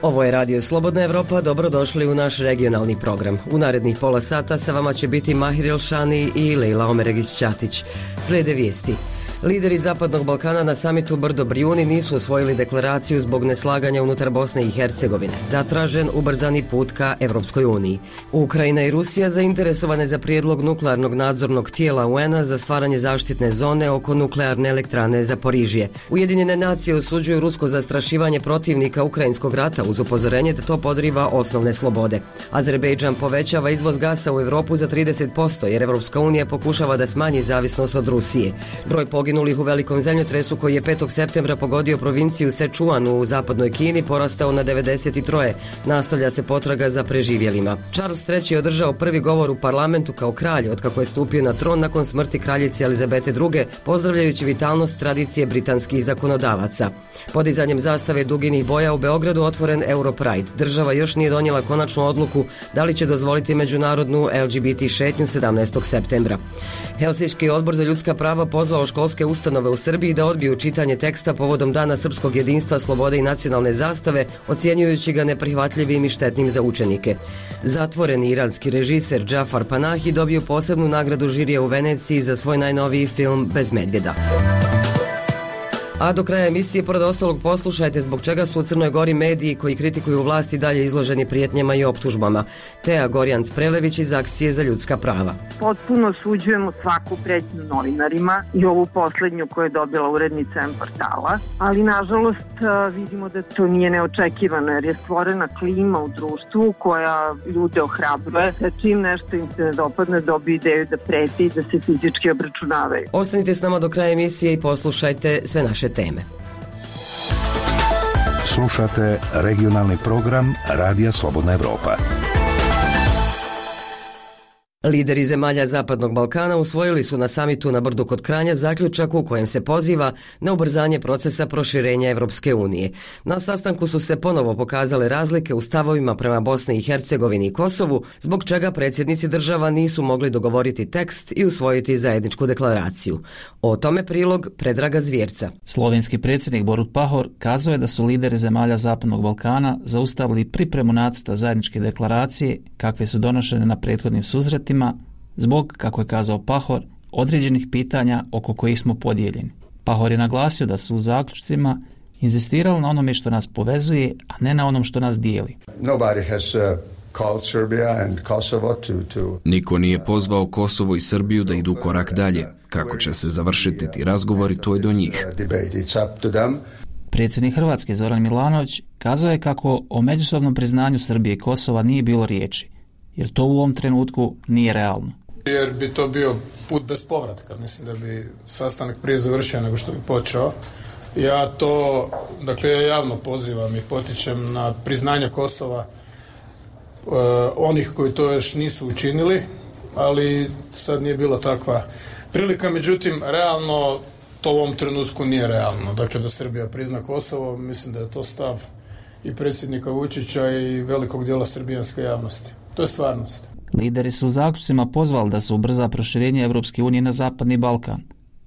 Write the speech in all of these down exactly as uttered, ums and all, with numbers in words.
Ovo je Radio Slobodna Evropa, dobrodošli u naš regionalni program. U narednih pola sata sa vama će biti Mahir Elšani i Lejla Omeregić-Ćatić. Slijede vijesti. Lideri Zapadnog Balkana na samitu Brdo Brijuni nisu osvojili deklaraciju zbog neslaganja unutar Bosne i Hercegovine. Zatražen ubrzani put ka Evropskoj uniji. Ukrajina i Rusija zainteresovane za prijedlog nuklearnog nadzornog tijela U N-a za stvaranje zaštitne zone oko nuklearne elektrane Zaporižje. Ujedinjene nacije osuđuju rusko zastrašivanje protivnika ukrajinskog rata uz upozorenje da to podriva osnovne slobode. Azerbejdžan povećava izvoz gasa u Europu za trideset posto jer Evropska unija pokušava da smanji zavisnost od Rusije. Broj poginulih u velikom zemljotresu koji je petog septembra pogodio provinciju Sečuan u zapadnoj Kini porastao na devedeset tri. Nastavlja se potraga za preživjelima. Charles treći je održao prvi govor u parlamentu kao kralj otkako je stupio na tron nakon smrti kraljice Elizabete druge, pozdravljajući vitalnost tradicije britanskih zakonodavaca. Podizanjem zastave duginih boja u Beogradu otvoren Europride. Država još nije donijela konačnu odluku da li će dozvoliti međunarodnu L G B T šetnju sedamnaestog septembra. Helsinški odbor za ljudska prava pozvao školske ustanove u Srbiji da odbiju čitanje teksta povodom Dana srpskog jedinstva, slobode i nacionalne zastave, ocjenjujući ga neprihvatljivim i štetnim za učenike. Zatvoreni iranski režiser Džafar Panahi dobio posebnu nagradu žirija u Veneciji za svoj najnoviji film Bez medvjeda. A do kraja emisije, pored ostalog, poslušajte zbog čega su u Crnoj Gori mediji koji kritikuju vlast i dalje izloženi prijetnjama i optužbama. Teja Gorjanc-Prelević iz Akcije za ljudska prava. Potpuno osuđujemo svaku pretnju novinarima i ovu poslednju koju je dobila urednica M portala, ali nažalost vidimo da to nije neočekivano jer je stvorena klima u društvu koja ljude ohrabruje da čim nešto im se ne dopadne dobiju ideju da preti i da se fizički obračunavaju. Ostanite s nama do kraja emisije i poslušajte sve naše teme. Slušate regionalni program Radija Slobodna Evropa. Lideri zemalja Zapadnog Balkana usvojili su na samitu na Brdu kod Kranja zaključak u kojem se poziva na ubrzanje procesa proširenja Evropske unije. Na sastanku su se ponovo pokazale razlike u stavovima prema Bosni i Hercegovini i Kosovu, zbog čega predsjednici država nisu mogli dogovoriti tekst i usvojiti zajedničku deklaraciju. O tome prilog Predraga Zvjerca. Slovenski predsjednik Borut Pahor kazao je da su lideri zemalja Zapadnog Balkana zaustavili pripremu nacrta zajedničke deklaracije kakve su donošene na prethodnim susretima zbog, kako je kazao Pahor, određenih pitanja oko kojih smo podijeljeni. Pahor je naglasio da su u zaključcima inzistirali na onome što nas povezuje, a ne na onom što nas dijeli. Niko nije pozvao Kosovo i Srbiju da idu korak dalje. Kako će se završiti ti razgovori, to je do njih. Predsjednik Hrvatske Zoran Milanović kazao je kako o međusobnom priznanju Srbije i Kosova nije bilo riječi, jer to u ovom trenutku nije realno. Jer bi to bio put bez povratka. Mislim da bi sastanak prije završio nego što bi počeo. Ja to, dakle, ja javno pozivam i potičem na priznanje Kosova eh, onih koji to još nisu učinili, ali sad nije bila takva prilika. Međutim, realno to u ovom trenutku nije realno. Dakle, da Srbija prizna Kosovo, mislim da je to stav i predsjednika Vučića i velikog dijela srbijanske javnosti. To je stvarnost. Lideri su u zaključcima pozvali da se ubrza proširenje Evropske unije na Zapadni Balkan.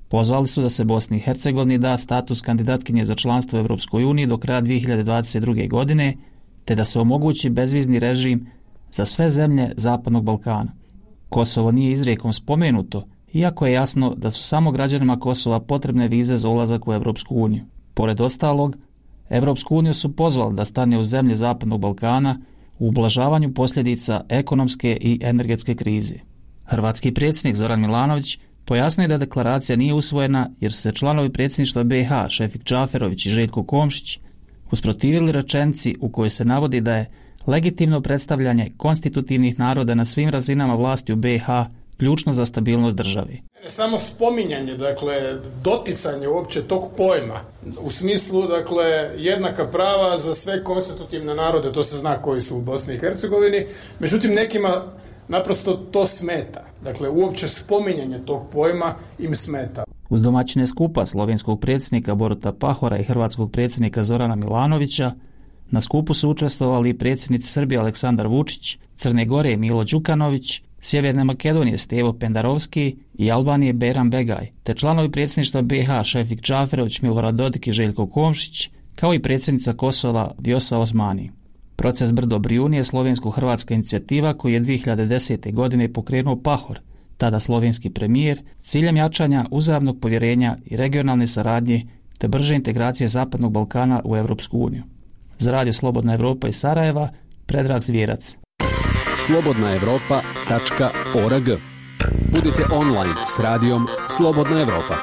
Pozvali su da se Bosni i Hercegovini da status kandidatkinje za članstvo u Evropskoj uniji do kraja dvije hiljade dvadeset druge. godine, te da se omogući bezvizni režim za sve zemlje Zapadnog Balkana. Kosovo nije izrijekom spomenuto, iako je jasno da su samo građanima Kosova potrebne vize za ulazak u Evropsku uniju. Pored ostalog, Evropsku uniju su pozvali da stane u zemlje Zapadnog Balkana u ublažavanju posljedica ekonomske i energetske krize. Hrvatski predsjednik Zoran Milanović pojasnio je da deklaracija nije usvojena jer su se članovi predsjedništva B i H Šefik Džaferović i Željko Komšić usprotivili rečenici u kojoj se navodi da je legitimno predstavljanje konstitutivnih naroda na svim razinama vlasti u B i H ključno za stabilnost države. Samo spominjanje, dakle, doticanje uopće tog pojma u smislu, dakle, jednaka prava za sve konstitutivne narode, to se zna koji su u Bosni i Hercegovini, međutim nekima naprosto to smeta. Dakle, uopće spominjanje tog pojma im smeta. Uz domaćine skupa slovenskog predsjednika Boruta Pahora i hrvatskog predsjednika Zorana Milanovića, na skupu su učestvovali i predsjednici Srbije Aleksandar Vučić, Crne Gore Milo Đukanović, Sjeverne Makedonije Stevo Pendarovski i Albanije Bejram Begaj, te članovi predsjedništva B iH Šefik Džaferović, Milorad Dodik i Željko Komšić, kao i predsjednica Kosova Vjosa Osmani. Proces Brdo Brijuni je slovensko-hrvatska inicijativa koju je dvije hiljade desete. godine pokrenuo Pahor, tada slovenski premijer, ciljem jačanja uzajamnog povjerenja i regionalne saradnje te brže integracije Zapadnog Balkana u Europsku uniju. Za Radio Slobodna Evropa iz Sarajeva, Predrag Zvijerac. slobodna evropa tačka org. Budite online s radijom Slobodna Evropa.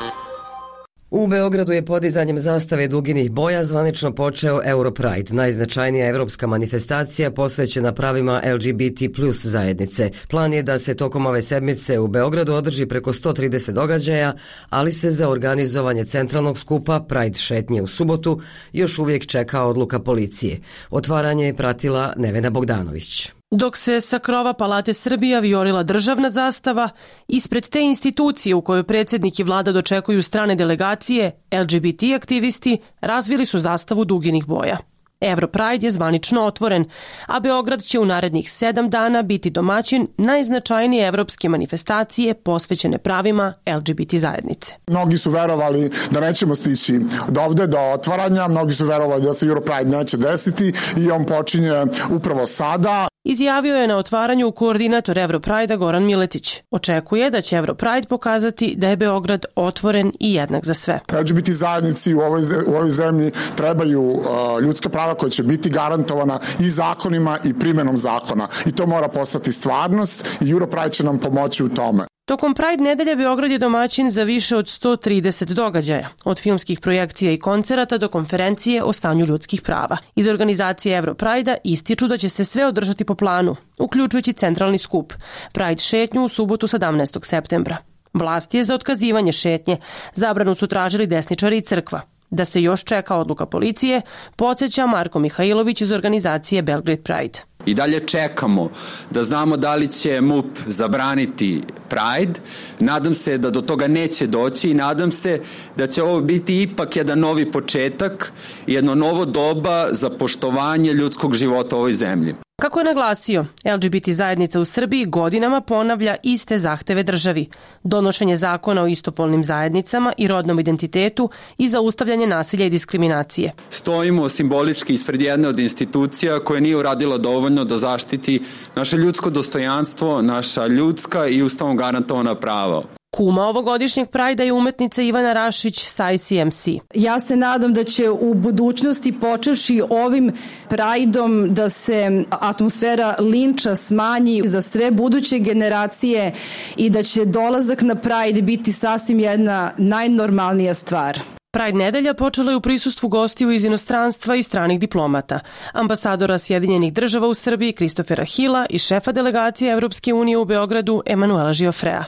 U Beogradu je podizanjem zastave duginih boja zvanično počeo Europride, najznačajnija evropska manifestacija posvećena pravima L G B T plus zajednice. Plan je da se tokom ove sedmice u Beogradu održi preko sto trideset događaja, ali se za organizovanje centralnog skupa Pride šetnje u subotu još uvijek čeka odluka policije. Otvaranje je pratila Nevena Bogdanović. Dok se sa krova Palate Srbija vijorila državna zastava, ispred te institucije u kojoj predsjednik i vlada dočekuju strane delegacije, L G B T aktivisti razvili su zastavu duginih boja. Europride je zvanično otvoren, a Beograd će u narednih sedam dana biti domaćin najznačajnije evropske manifestacije posvećene pravima L G B T zajednice. Mnogi su verovali da nećemo stići do ovde, do otvaranja, mnogi su verovali da se Europride neće desiti i on počinje upravo sada. Izjavio je na otvaranju koordinator Europride-a Goran Miletić. Očekuje da će Europride pokazati da je Beograd otvoren i jednak za sve. L G B T zajednici u ovoj, u ovoj zemlji trebaju uh, ljudska prava koja će biti garantovana i zakonima i primjenom zakona. I to mora postati stvarnost i Europride će nam pomoći u tome. Tokom Pride nedelje Beograd je domaćin za više od sto trideset događaja, od filmskih projekcija i koncerata do konferencije o stanju ljudskih prava. Iz organizacije Europride-a ističu da će se sve održati po planu, uključujući centralni skup, Pride šetnju u subotu sedamnaestog septembra. Vlast je za otkazivanje šetnje, zabranu su tražili desničari i crkva. Da se još čeka odluka policije, podsjeća Marko Mihajlović iz organizacije Belgrade Pride. I dalje čekamo da znamo da li će M U P zabraniti Pride. Nadam se da do toga neće doći i nadam se da će ovo biti ipak jedan novi početak, jedno novo doba za poštovanje ljudskog života u ovoj zemlji. Kako je naglasio, L G B T zajednica u Srbiji godinama ponavlja iste zahteve državi, donošenje zakona o istopolnim zajednicama i rodnom identitetu i zaustavljanje nasilja i diskriminacije. Stojimo simbolički ispred jedne od institucija koja nije uradila dovoljno da zaštiti naše ljudsko dostojanstvo, naša ljudska i ustavom garantovana prava. Kuma ovogodišnjeg Prajda je umetnica Ivana Rašić sa I C M C. Ja se nadam da će u budućnosti, počevši ovim Prajdom, da se atmosfera linča smanji za sve buduće generacije i da će dolazak na Prajd biti sasvim jedna najnormalnija stvar. Pride nedelja počela je u prisustvu gostiju iz inostranstva i stranih diplomata, ambasadora Sjedinjenih država u Srbiji Kristofera Hila i šefa delegacije Evropske unije u Beogradu Emanuela Žiofrea.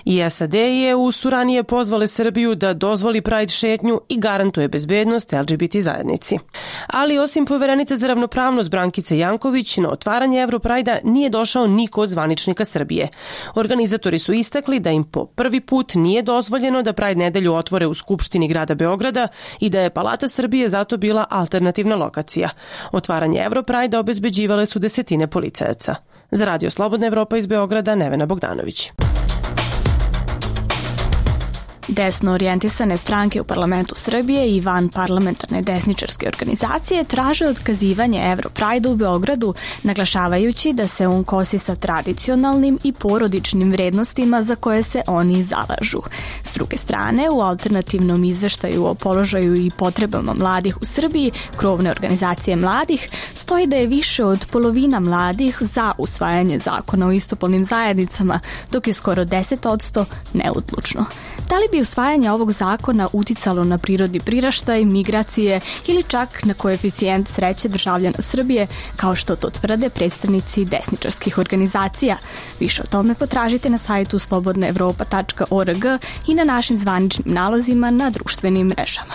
I S A D i E U su ranije pozvale Srbiju da dozvoli Pride šetnju i garantuje bezbednost L G B T zajednici. Ali osim poverenice za ravnopravnost Brankice Janković, na otvaranje Europrajda nije došao niko od zvaničnika Srbije. Organizatori su istakli da im po prvi put nije dozvoljeno da Pride nedelju otvore u Skupštini grada Beograda Beograda i da je Palata Srbije zato bila alternativna lokacija. Otvaranje Europrajda obezbeđivale su desetine policajaca. Za Radio Slobodna Evropa iz Beograda, Nevena Bogdanović. Desno orijentisane stranke u parlamentu Srbije i van parlamentarne desničarske organizacije traže otkazivanje Europrajda u Beogradu, naglašavajući da se on kosi sa tradicionalnim i porodičnim vrednostima za koje se oni zalažu. S druge strane, u alternativnom izveštaju o položaju i potrebama mladih u Srbiji, krovne organizacije mladih, stoji da je više od polovina mladih za usvajanje zakona o istopolnim zajednicama, dok je skoro deset posto neodlučno. Da li bi usvajanje ovog zakona uticalo na prirodni priraštaj, migracije ili čak na koeficijent sreće državljana Srbije, kao što to tvrde predstavnici desničarskih organizacija? Više o tome potražite na sajtu slobodna evropa tačka org i na našim zvaničnim nalozima na društvenim mrežama.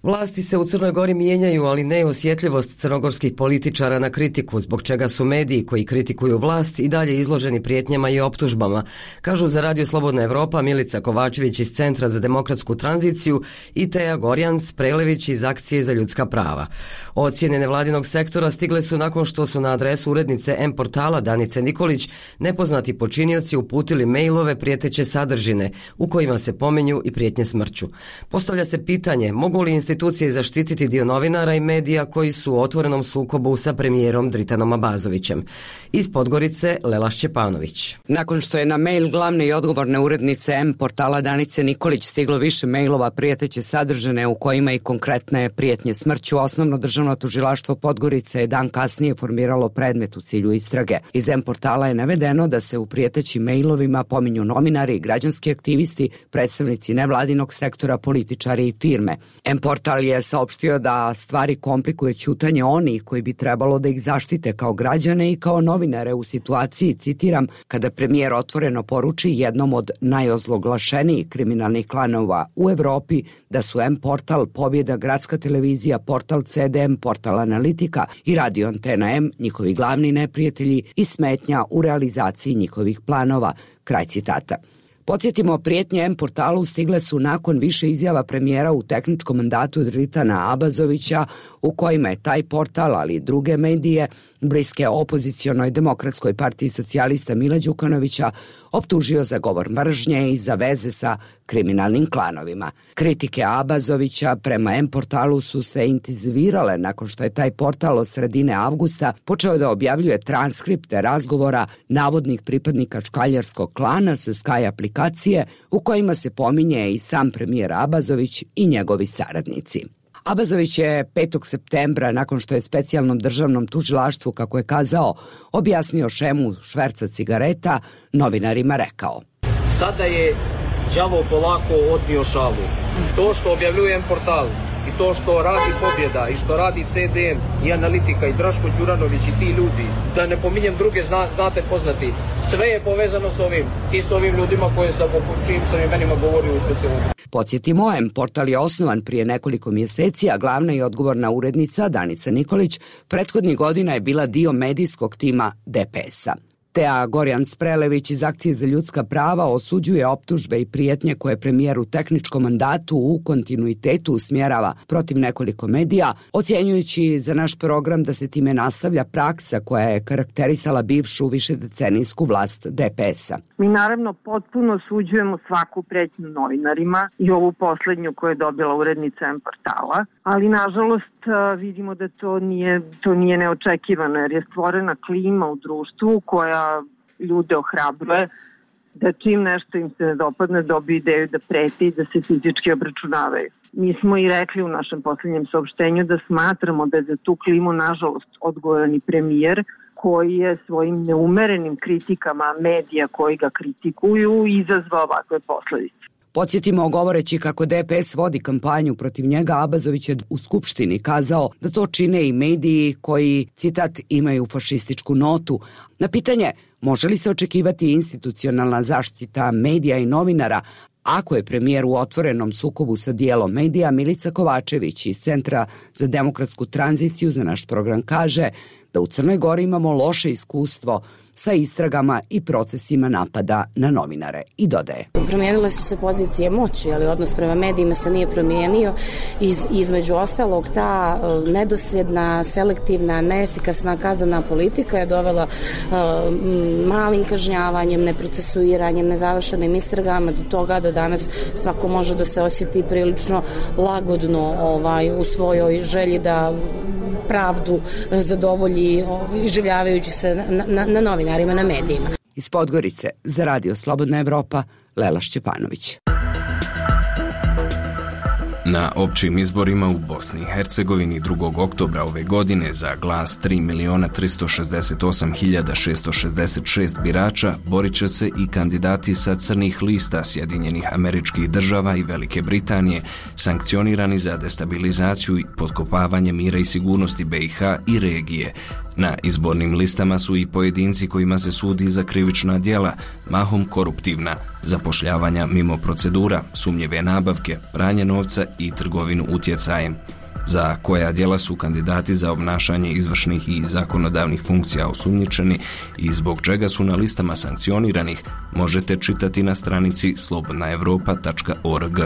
Vlasti se u Crnoj Gori mijenjaju, ali ne osjetljivost crnogorskih političara na kritiku, zbog čega su mediji koji kritikuju vlast i dalje izloženi prijetnjama i optužbama, kažu za Radio Slobodna Evropa Milica Kovačević iz Centra za demokratsku tranziciju i Teja Gorjanc Prelević iz Akcije za ljudska prava. Ocjene nevladinog sektora stigle su nakon što su na adresu urednice M portala Danice Nikolić nepoznati počinioci uputili mailove prijeteće sadržine u kojima se pominju i prijetnje smrću. Postavlja se pitanje mogu li institucije zaštititi dio novinara i medija koji su u otvorenom sukobu sa premijerom Dritanom Abazovićem. Iz Podgorice Lela Šćepanović. Nakon što je na mail glavne i odgovorne urednice M portala Danice Nikolić stiglo više mailova prijeteće sadržine u kojima i konkretne prijetnje smrću, Osnovno državno tužilaštvo Podgorice je dan kasnije formiralo predmet u cilju istrage. Iz M portala je navedeno da se u prijetećim mailovima pominju novinari, građanski aktivisti, predstavnici nevladinog sektora, političari i firme. M portal je saopštio da stvari komplikuje ćutanje onih koji bi trebalo da ih zaštite kao građane i kao novinare u situaciji, citiram, kada premijer otvoreno poruči jednom od najozloglašenijih kriminalnih klanova u Evropi da su M portal, Pobjeda, Gradska televizija, portal C D M, portal Analitika i Radio Antena M njihovi glavni neprijatelji i smetnja u realizaciji njihovih planova. Kraj citata. Podsjetimo, prijetnje M portalu stigle su nakon više izjava premijera u tehničkom mandatu Dritana Abazovića u kojima je taj portal, ali i druge medije, bliske opozicionoj Demokratskoj partiji socijalista Mila Đukanovića, optužio za govor mržnje i za veze sa kriminalnim klanovima. Kritike Abazovića prema M portalu su se intenzivirale nakon što je taj portal od sredine avgusta počeo da objavljuje transkripte razgovora navodnih pripadnika čkaljarskog klana sa Sky aplikacije u kojima se pominje i sam premijer Abazović i njegovi saradnici. Abazović je petog septembra, nakon što je specijalnom državnom tužilaštvu, kako je kazao, objasnio šemu šverca cigareta, novinarima rekao: Sada je đavo polako odnio šalu. To što objavljujem portal i to što radi Pobjeda i što radi C D M i Analitika i Draško Đuranović i ti ljudi, da ne pominjem druge, zna, znate poznati, sve je povezano s ovim i s ovim ljudima koje sam o čijim sam imenima govorio u specijalnom. Podsjetimo, M portal je osnovan prije nekoliko mjeseci, a glavna i odgovorna urednica Danica Nikolić prethodnih godina je bila dio medijskog tima D P S-a. Teja Gorjanc Prelević iz Akcije za ljudska prava osuđuje optužbe i prijetnje koje premijer u tehničkom mandatu u kontinuitetu usmjerava protiv nekoliko medija, ocjenjujući za naš program da se time nastavlja praksa koja je karakterisala bivšu višedecenijsku vlast D P S-a. Mi naravno potpuno osuđujemo svaku pretnju novinarima i ovu poslednju koju je dobila urednica M portala, ali nažalost vidimo da to nije, to nije neočekivano jer je stvorena klima u društvu koja ljude ohrabruje da čim nešto im se ne dopadne dobiju ideju da preti i da se fizički obračunavaju. Mi smo i rekli u našem posljednjem saopštenju da smatramo da je za tu klimu nažalost odgovoran i premijer koji je svojim neumerenim kritikama medija koji ga kritikuju izazvao ovakve posledice. Podsjetimo, govoreći kako D P S vodi kampanju protiv njega, Abazović je u Skupštini kazao da to čine i mediji koji, citat, imaju fašističku notu. Na pitanje može li se očekivati institucionalna zaštita medija i novinara ako je premijer u otvorenom sukobu sa dijelom medija, Milica Kovačević iz Centra za demokratsku tranziciju za naš program kaže da u Crnoj Gori imamo loše iskustvo sa istragama i procesima napada na novinare i dodaje. Promijenile su se pozicije moći, ali odnos prema medijima se nije promijenio. Iz, između ostalog, ta uh, nedosljedna, selektivna, neefikasna kaznena politika je dovela uh, malim kažnjavanjem, neprocesuiranjem, nezavršenim istragama do toga da danas svako može da se osjeti prilično lagodno ovaj, u svojoj želji da pravdu zadovolji iživljavajući se na, na, na novinarima, na medijima. Iz Podgorice za Radio Slobodna Evropa, Lela Šćepanović. Na općim izborima u Bosni i Hercegovini drugog oktobra ove godine za glas tri miliona tristo šezdeset osam hiljada šesto šezdeset šest birača borit će se i kandidati sa crnih lista Sjedinjenih Američkih Država i Velike Britanije, sankcionirani za destabilizaciju i potkopavanje mira i sigurnosti B i H i regije, Na izbornim listama su i pojedinci kojima se sudi za krivična djela, mahom koruptivna, zapošljavanja mimo procedura, sumnjive nabavke, pranje novca i trgovinu utjecajem. Za koja djela su kandidati za obnašanje izvršnih i zakonodavnih funkcija osumnjičeni i zbog čega su na listama sankcioniranih, možete čitati na stranici slobodna evropa tačka org.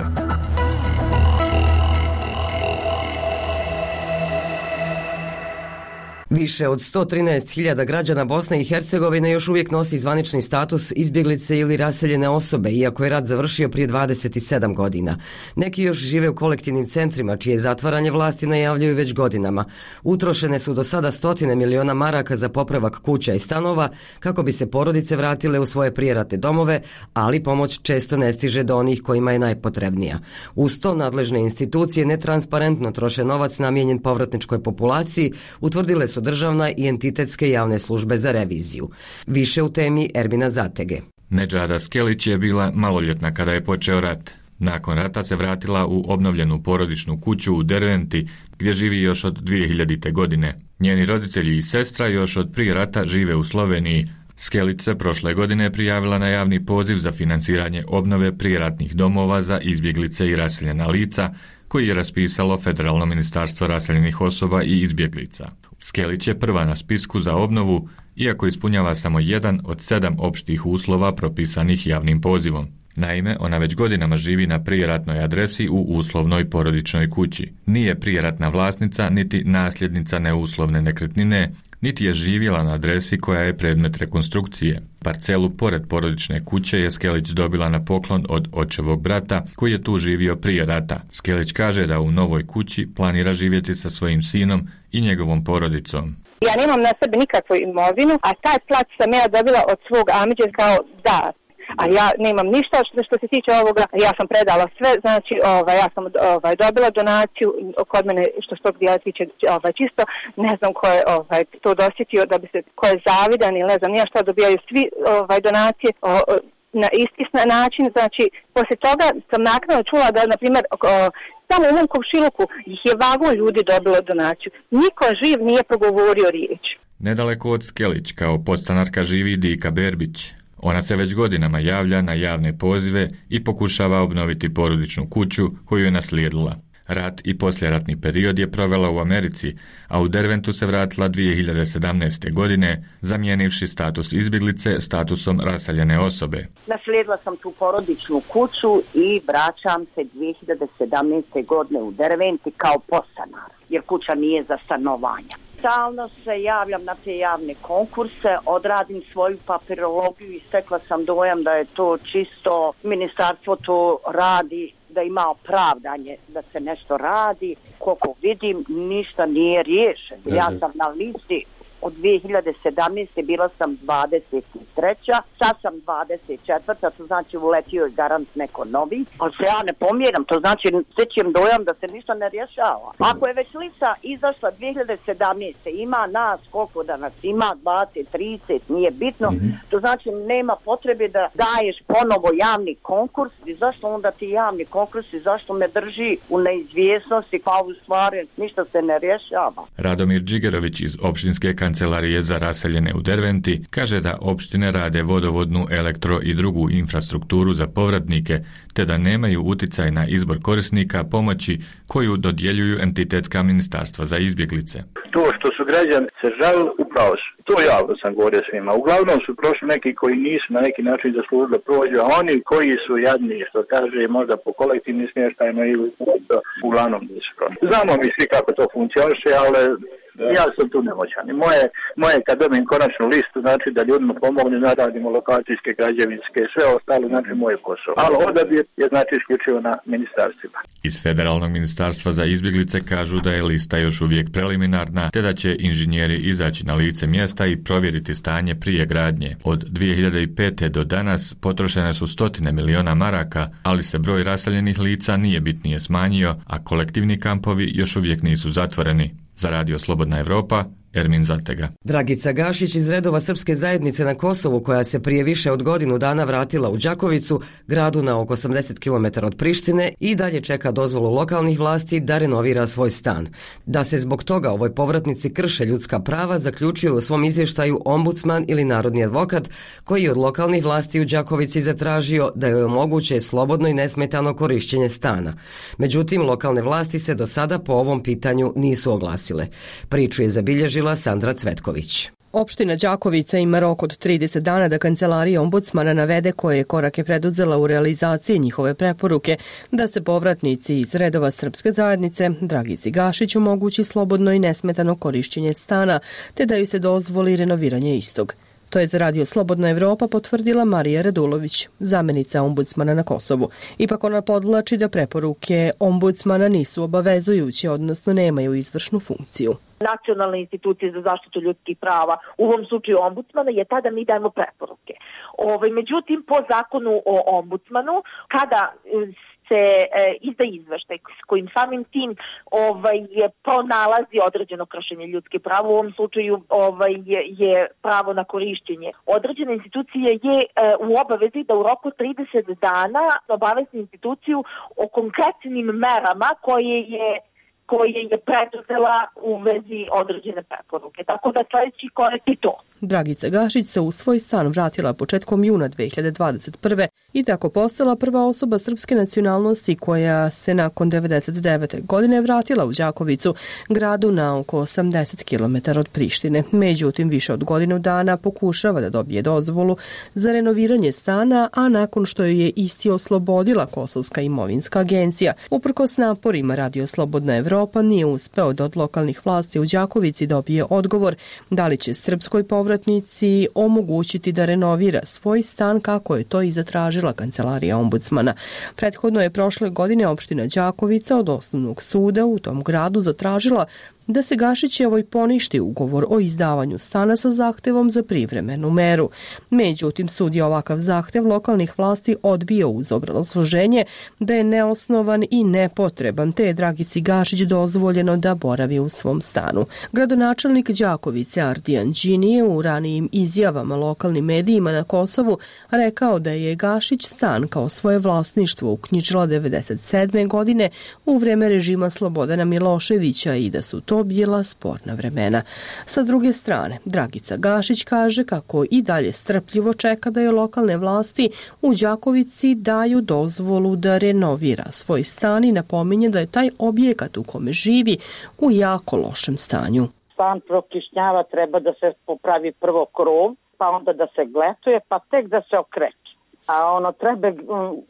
Više od sto trinaest hiljada građana Bosne i Hercegovine još uvijek nosi zvanični status izbjeglice ili raseljene osobe, iako je rat završio prije dvadeset sedam godina. Neki još žive u kolektivnim centrima, čije zatvaranje vlasti najavljuju već godinama. Utrošene su do sada stotine miliona maraka za popravak kuća i stanova, kako bi se porodice vratile u svoje prijeratne domove, ali pomoć često ne stiže do onih kojima je najpotrebnija. Uz to nadležne institucije netransparentno troše novac namijenjen povratničkoj populaciji, utvrdile su državna i entitetske javne službe za reviziju. Više u temi Ermina Zatege. Nedžada Skelić je bila maloljetna kada je počeo rat. Nakon rata se vratila u obnovljenu porodičnu kuću u Derventi, gdje živi još od dvije hiljadite. godine. Njeni roditelji i sestra još od prije rata žive u Sloveniji. Skelić se prošle godine prijavila na javni poziv za finansiranje obnove prijeratnih domova za izbjeglice i raseljena lica, koji je raspisalo Federalno ministarstvo raseljenih osoba i izbjeglica. Skelić je prva na spisku za obnovu, iako ispunjava samo jedan od sedam opštih uslova propisanih javnim pozivom. Naime, ona već godinama živi na prijeratnoj adresi u uslovnoj porodičnoj kući. Nije prijeratna vlasnica, niti nasljednica neuslovne nekretnine, niti je živjela na adresi koja je predmet rekonstrukcije. Parcelu pored porodične kuće je Skelić dobila na poklon od očevog brata, koji je tu živio prije rata. Skelić kaže da u novoj kući planira živjeti sa svojim sinom i njegovom porodicom. Ja nemam na sebi nikakvu imovinu, a taj plac sam ja dobila od svog amidže kao dar. A ja nemam ništa što, što se tiče ovoga, ja sam predala sve, znači ovaj, ja sam ovaj, dobila donaciju kod mene što što dijela tiče ovaj, čisto, ne znam ko je ovaj, to dosjetio da bi se, ko je zavidan ili ne znam nija šta dobijaju svi ovaj, donacije o, o, na isti način, znači poslije toga sam naknadno čula da, na primjer, o, samo u mom komšiluku ih je vagon ljudi dobilo donaciju. Niko živ nije progovorio riječ. Nedaleko od Skelić kao podstanarka živi Dika Berbić. Ona se već godinama javlja na javne pozive i pokušava obnoviti porodičnu kuću koju je naslijedila. Rat i poslijeratni period je provela u Americi, a u Derventu se vratila dvije hiljade sedamnaeste. godine, zamijenivši status izbjeglice statusom raseljene osobe. Naslijedila sam tu porodičnu kuću i vraćam se dvije hiljade sedamnaeste. godine u Derventi kao podstanar, jer kuća nije za stanovanje. Stalno se javljam na te javne konkurse, odradim svoju papirologiju i stekla sam dojam da je to čisto, ministarstvo to radi, da ima opravdanje da se nešto radi. Koliko vidim, ništa nije riješeno. Ja sam na listi od dvije hiljade sedamnaeste. bila sam dvadeset treća. Sad sam dvadeset četvrta. To znači uletio je garant neko novi. Ali se ja ne pomjeram, to znači stećem dojam da se ništa ne rješava. Ako je već lista izašla dvije hiljade sedamnaeste. ima nas, koliko da nas ima, dvadeset, trideset, nije bitno. Mm-hmm. To znači nema potrebe da daješ ponovo javni konkurs. I zašto onda ti javni konkurs i zašto me drži u neizvjesnosti, pa u stvari ništa se ne rješava. Radomir Džigerović iz opštinske Kancelarije za raseljene u Derventi kaže da opštine rade vodovodnu, elektro i drugu infrastrukturu za povratnike, te da nemaju uticaj na izbor korisnika pomoći koju dodjeljuju entitetska ministarstva za izbjeglice. To što su građani se žalili, upravo su. To javno sam govorio svima. Uglavnom su prošli neki koji nisu na neki način zaslužili prođu, a oni koji su jadni, što kaže, možda po kolektivnim smještajima ili uglavnom nisu prošli. Znamo mi svi kako to funkcioniše, ali ja sam tu nemoćan. Moje, moje kad dobijem konačnu listu, znači da ljudima pomogne, naradimo lokacijske, građevinske, sve ostalo, znači moje posao. Ali odabir je znači isključivo na ministarstvima. Iz Federalnog ministarstva za izbjeglice kažu da je lista još uvijek preliminarna, te da će inženjeri izaći na lice mjesta i provjeriti stanje prije gradnje. Od dvije hiljade pete. do danas potrošene su stotine miliona maraka, ali se broj raseljenih lica nije bitnije smanjio, a kolektivni kampovi još uvijek nisu zatvoreni. Za Radio Slobodna Evropa, Ermin Zatega. Dragica Gašić iz redova srpske zajednice na Kosovu, koja se prije više od godinu dana vratila u Đakovicu, gradu na oko osamdeset kilometara od Prištine, i dalje čeka dozvolu lokalnih vlasti da renovira svoj stan. Da se zbog toga ovoj povratnici krše ljudska prava, zaključio u svom izvještaju ombudsman ili narodni advokat, koji je od lokalnih vlasti u Đakovici zatražio da joj omoguće slobodno i nesmetano korišćenje stana. Međutim, lokalne vlasti se do sada po ovom pitanju nisu oglasile. Priču je zabilježila Sandra Cvetković. Opština Đakovica ima rok od trideset dana da kancelarija ombudsmana navede koje je korake preduzela u realizaciji njihove preporuke da se povratnici iz redova srpske zajednice Dragici Gašić omogući slobodno i nesmetano korišćenje stana, te da ju se dozvoli renoviranje istog. To je za Radio Slobodna Evropa potvrdila Marija Radulović, zamenica ombudsmana na Kosovu. Ipak ona podvlači da preporuke ombudsmana nisu obavezujuće, odnosno nemaju izvršnu funkciju. Nacionalne institucije za zaštitu ljudskih prava, u ovom slučaju ombudsmana, je tada mi dajemo preporuke. Ove, međutim, po zakonu o ombudsmanu, kada se e, izda izveštaj s kojim samim tim ovaj, je pronalazi određeno kršenje ljudskih prava, u ovom slučaju ovaj, je, je pravo na korišćenje. Određena institucija je e, u obavezi da u roku trideset dana obavesti instituciju o konkretnim merama koje je koje je preduzela u vezi određene preporuke. Tako da sljedeći korak je to. Dragica Gašić se u svoj stan vratila početkom juna dve hiljade dvadeset prve i tako postala prva osoba srpske nacionalnosti koja se nakon devedeset devete godine vratila u Đakovicu, gradu na oko osamdeset kilometara od Prištine. Međutim, više od godinu dana pokušava da dobije dozvolu za renoviranje stana, a nakon što ju je isti oslobodila Kosovska imovinska agencija. Uprkos naporima Radio Slobodna Evropa nije uspeo da od lokalnih vlasti u Đakovici dobije odgovor da li će srpskoj povratnici omogućiti da renovira svoj stan kako je to i zatražila kancelarija ombudsmana. Prethodno je prošle godine opština Đakovica od osnovnog suda u tom gradu zatražila da se Gašićevoj poništi ugovor o izdavanju stana sa zahtevom za privremenu meru. Međutim, sud je ovakav zahtev lokalnih vlasti odbio uz obrazloženje da je neosnovan i nepotreban, te je Dragici Gašić dozvoljeno da boravi u svom stanu. Gradonačelnik Đakovice Ardijan Đini je u ranijim izjavama lokalnim medijima na Kosovu rekao da je Gašić stan kao svoje vlasništvo uknjižila devedeset sedme godine u vreme režima Slobodana Miloševića i da su to bila sporna vremena. Sa druge strane, Dragica Gašić kaže kako i dalje strpljivo čeka da je lokalne vlasti u Đakovici daju dozvolu da renovira svoj stan i napominje da je taj objekat u kome živi u jako lošem stanju. Stan prokišnjava, treba da se popravi prvo krov, pa onda da se gletuje, pa tek da se okreće. A ono treba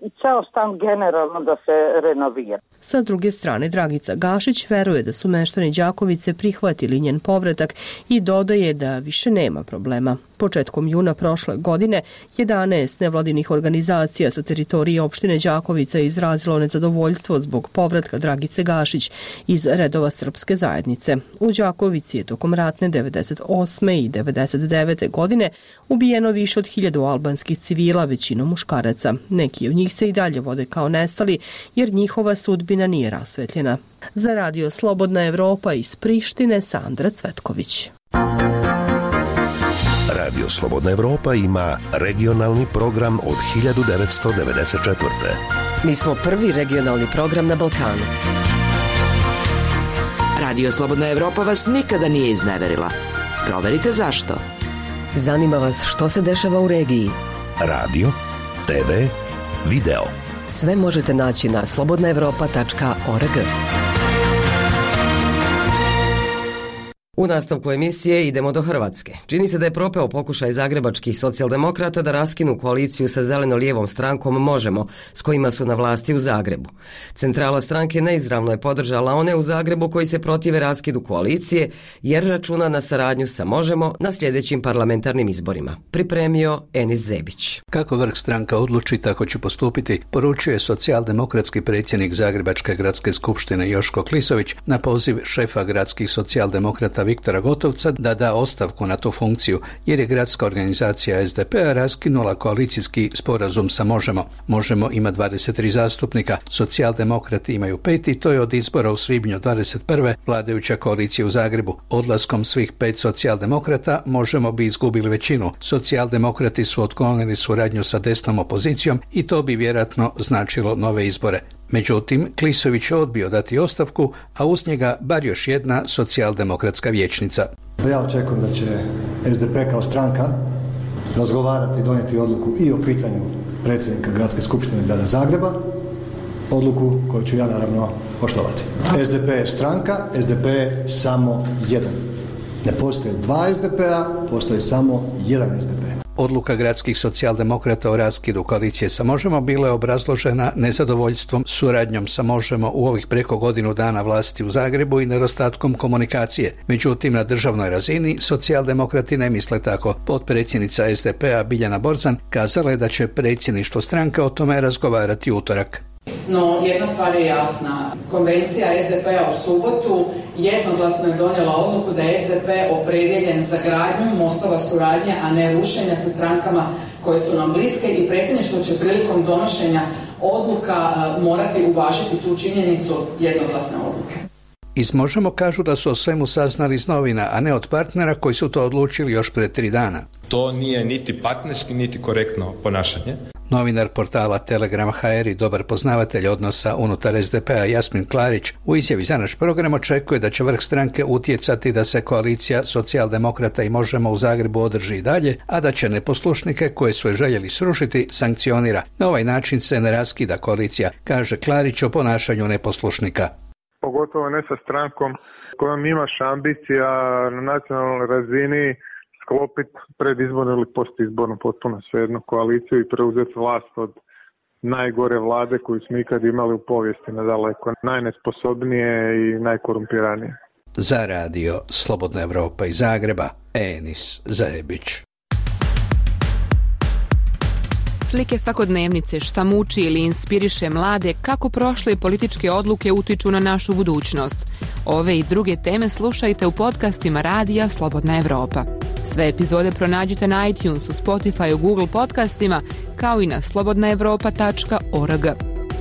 i ceo stan generalno da se renovira. Sa druge strane, Dragica Gašić veruje da su meštani Đakovice prihvatili njen povratak i dodaje da više nema problema. Početkom juna prošle godine, jedanaest nevladinih organizacija sa teritorije opštine Đakovica je izrazilo nezadovoljstvo zbog povratka Dragice Gašić iz redova srpske zajednice. U Đakovici je tokom ratne devedeset osme i devedeset devete godine ubijeno više od hiljadu albanskih civila, većinom muškaraca. Neki od njih se i dalje vode kao nestali, jer njihova sudbina nije rasvetljena. Za Radio Slobodna Evropa iz Prištine, Sandra Cvetković. Radio Slobodna Evropa ima regionalni program od hiljadu devetsto devedeset četvrte. Mi smo prvi regionalni program na Balkanu. Radio Slobodna Evropa vas nikada nije izneverila. Proverite zašto. Zanima vas što se dešava u regiji. Radio, te ve, video. Sve možete naći na slobodna evropa tačka org. U nastavku emisije idemo do Hrvatske. Čini se da je propeo pokušaj zagrebačkih socijaldemokrata da raskinu koaliciju sa zeleno-lijevom strankom Možemo, s kojima su na vlasti u Zagrebu. Centrala stranke neizravno je podržala one u Zagrebu koji se protive raskidu koalicije, jer računa na saradnju sa Možemo na sljedećim parlamentarnim izborima. Pripremio Enis Zebić. Kako vrh stranka odluči, tako će postupiti, poručuje socijaldemokratski predsjednik Zagrebačke gradske skupštine Joško Klisović na poziv šefa gradskih socijaldemokrata Viktora Gotovca da da ostavku na tu funkciju, jer je gradska organizacija S D P-a raskinula koalicijski sporazum sa Možemo. Možemo ima dvadeset tri zastupnika, socijaldemokrati imaju pet i to je od izbora u svibnju dvadeset prve vladajuća koalicija u Zagrebu. Odlaskom svih pet socijaldemokrata Možemo bi izgubili većinu. Socijaldemokrati su otklonili suradnju sa desnom opozicijom i to bi vjerojatno značilo nove izbore. Međutim, Klisović je odbio dati ostavku, a uz njega bar još jedna socijaldemokratska vijećnica. Ja očekujem da će S D P kao stranka razgovarati i donijeti odluku i o pitanju predsjednika Gradske skupštine Grada Zagreba, odluku koju ću ja naravno poštovati. S D P je stranka, S D P je samo jedan. Ne postoje dva S D P-a, postoji samo jedan S D P. Odluka gradskih socijaldemokrata o raskidu koalicije sa Možemo bila je obrazložena nezadovoljstvom suradnjom sa Možemo u ovih preko godinu dana vlasti u Zagrebu i nedostatkom komunikacije. Međutim, na državnoj razini socijaldemokrati ne misle tako. Potpredsjednica S D P-a Biljana Borzan kazala je da će predsjedništvo stranke o tome razgovarati utorak. No, jedna stvar je jasna. Konvencija S D P-a u subotu jednoglasno je donijela odluku da je S D P opredjeljen za gradnju mostova suradnje, a ne rušenja sa strankama koje su nam bliske i predsjedništvo će prilikom donošenja odluka morati uvažiti tu činjenicu jednoglasne odluke. Iz Možemo kažu da su o svemu saznali iz novina, a ne od partnera koji su to odlučili još pred tri dana. To nije niti partnerski, niti korektno ponašanje. Novinar portala Telegram H R i dobar poznavatelj odnosa unutar S D P-a Jasmin Klarić u izjavi za naš program očekuje da će vrh stranke utjecati da se koalicija socijaldemokrata i Možemo u Zagrebu održi i dalje, a da će neposlušnike koje su je željeli srušiti sankcionira. Na ovaj način se ne raskida koalicija, kaže Klarić o ponašanju neposlušnika. Pogotovo ne sa strankom kojom imaš ambicija na nacionalnoj razini sklopiti predizbornu ili postizbornu, potpuno svejedno, koaliciju i preuzeti vlast od najgore vlade koju smo ikad imali u povijesti nadaleko, najnesposobnije i najkorumpiranije. Za radio Slobodna Evropa iz Zagreba, Enis Zajebić. Slike svakodnevnice, šta muči ili inspiriše mlade, kako prošle političke odluke utiču na našu budućnost. Ove i druge teme slušajte u podcastima radija Slobodna Evropa. Sve epizode pronađite na iTunesu, Spotify, Google podcastima, kao i na slobodna evropa tačka org.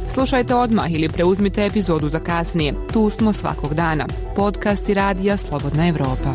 Slušajte odmah ili preuzmite epizodu za kasnije. Tu smo svakog dana. Podcasti radija Slobodna Evropa.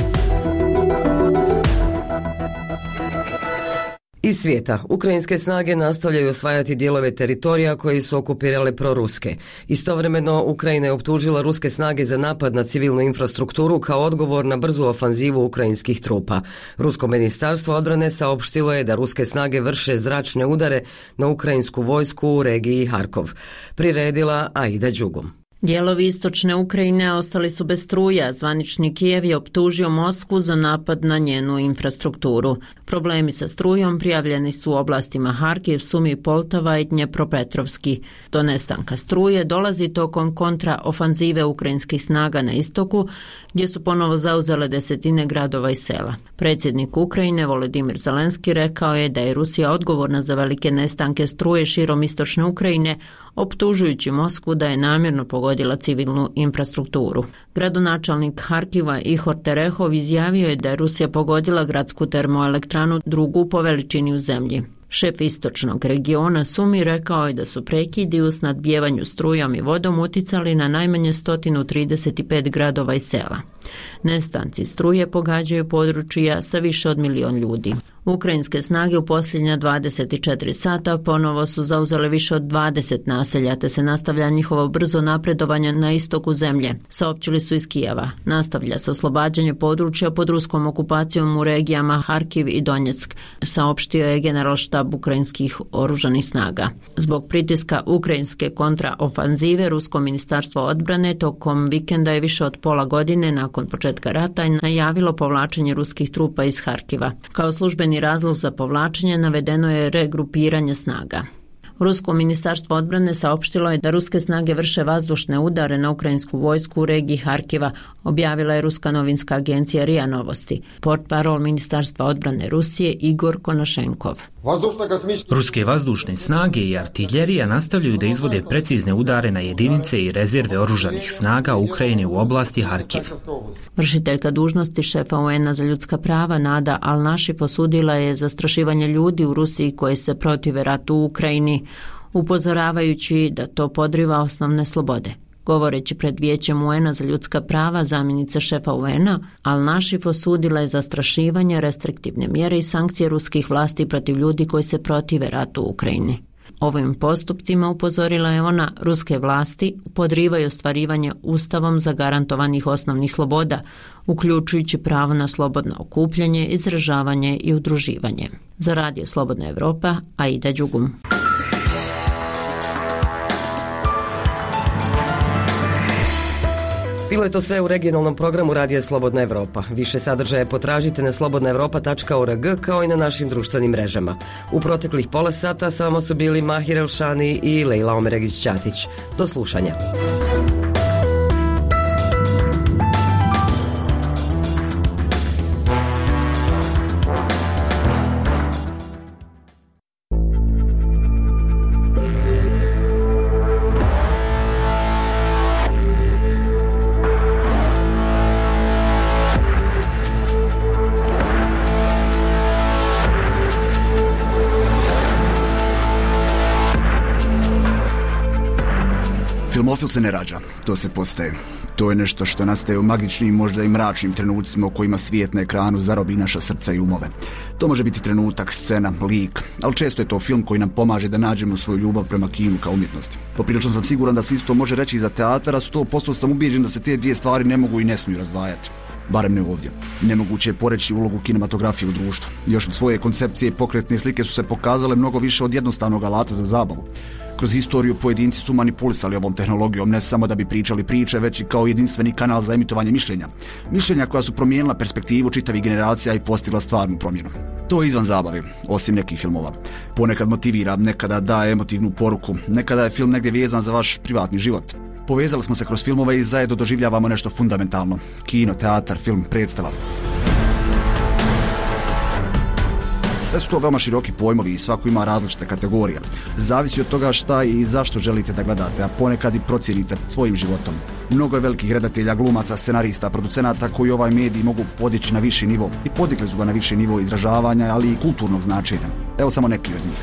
Iz svijeta, ukrajinske snage nastavljaju osvajati dijelove teritorija koji su okupirale proruske. Istovremeno, Ukrajina je optužila ruske snage za napad na civilnu infrastrukturu kao odgovor na brzu ofanzivu ukrajinskih trupa. Rusko ministarstvo odbrane saopštilo je da ruske snage vrše zračne udare na ukrajinsku vojsku u regiji Harkov. Priredila Aida Đugum. Dijelovi istočne Ukrajine ostali su bez struja. Zvanični Kijev je optužio Moskvu za napad na njenu infrastrukturu. Problemi sa strujom prijavljeni su u oblastima Harkiv, Sumi, Poltava i Dnjepropetrovski. Do nestanka struje dolazi tokom kontraofanzive ukrajinskih snaga na istoku, gdje su ponovo zauzele desetine gradova i sela. Predsjednik Ukrajine Volodimir Zelenski rekao je da je Rusija odgovorna za velike nestanke struje širom istočne Ukrajine, optužujući Moskvu da je namjerno pogodila civilnu infrastrukturu. Gradonačelnik Harkiva Ihor Terehov izjavio je da je Rusija pogodila gradsku termoelektranu drugu po veličini u zemlji. Šef istočnog regiona Sumi rekao je da su prekidi u snadbijevanju strujom i vodom uticali na najmanje sto trideset pet gradova i sela. Nestanci struje pogađaju područja sa više od milion ljudi. Ukrajinske snage u posljednja dvadeset četiri sata ponovo su zauzele više od dvadeset naselja, te se nastavlja njihovo brzo napredovanje na istoku zemlje, saopćili su iz Kijeva. Nastavlja se oslobađanje područja pod ruskom okupacijom u regijama Harkiv i Donjeck, saopštio je generalštab ukrajinskih oružanih snaga. Zbog pritiska ukrajinske kontraofanzive, Rusko ministarstvo odbrane tokom vikenda je više od pola godine nakon početka rata najavilo povlačenje ruskih trupa iz Harkiva. Kao službeni razlog za povlačenje navedeno je regrupiranje snaga. Rusko ministarstvo odbrane saopštilo je da ruske snage vrše vazdušne udare na ukrajinsku vojsku u regiji Harkiva, objavila je ruska novinska agencija R I A Novosti. Portparol ministarstva odbrane Rusije Igor Konašenkov. Ruske vazdušne snage i artiljerija nastavljaju da izvode precizne udare na jedinice i rezerve oružanih snaga Ukrajine u oblasti Harkiv. Vršiteljka dužnosti šefa U N-a za ljudska prava Nada Al-Našif osudila je zastrašivanje ljudi u Rusiji koji se protive ratu u Ukrajini, upozoravajući da to podriva osnovne slobode. Govoreći pred Vijećem U N-a za ljudska prava, zamjenica šefa U N-a, Al-Našif osudila je zastrašivanje, restriktivne mjere i sankcije ruskih vlasti protiv ljudi koji se protive ratu u Ukrajini. Ovim postupcima, upozorila je ona, ruske vlasti podrivaju ostvarivanje ustavom zagarantovanih osnovnih sloboda, uključujući pravo na slobodno okupljanje, izražavanje i udruživanje. Za Radio Slobodna Evropa, Aida Đugum. Bilo je to sve u regionalnom programu Radija Slobodna Evropa. Više sadržaja potražite na slobodna evropa tačka org kao i na našim društvenim mrežama. U proteklih pola sata sa vama su bili Mahir Elšani i Lejla Omeregić-Ćatić. Do slušanja. Filmofil se ne rađa, to se postaje. To je nešto što nastaje u magičnim, možda i mračnim trenucima u kojima svijet na ekranu zarobi naša srca i umove. To može biti trenutak, scena, lik, ali često je to film koji nam pomaže da nađemo svoju ljubav prema kinu kao umjetnosti. Poprilično sam siguran da se isto može reći i za teatar, a sto posto sam ubijeđen da se te dvije stvari ne mogu i ne smiju razdvajati. Barem ne ovdje. Nemoguće je poreći ulogu kinematografije u društvu. Još od svoje koncepcije pokretne slike su se pokazale mnogo više od jednostavnog alata za zabavu. Kroz historiju pojedinci su manipulisali ovom tehnologijom ne samo da bi pričali priče, već i kao jedinstveni kanal za emitovanje mišljenja. Mišljenja koja su promijenila perspektivu čitavih generacija i postigla stvarnu promjenu. To je izvan zabave, osim nekih filmova. Ponekad motivira, nekada daje emotivnu poruku, nekada je film negdje vezan za vaš privatni život. Povezali smo se kroz filmove i zajedno doživljavamo nešto fundamentalno. Kino, teatar, film, predstava. Sve su to veoma široki pojmovi i svako ima različite kategorije. Zavisi od toga šta i zašto želite da gledate, a ponekad i procijenite svojim životom. Mnogo je velikih redatelja, glumaca, scenarista, producenata koji ovaj medij mogu podići na viši nivo i podigli su ga na viši nivo izražavanja, ali i kulturnog značenja. Evo samo neki od njih.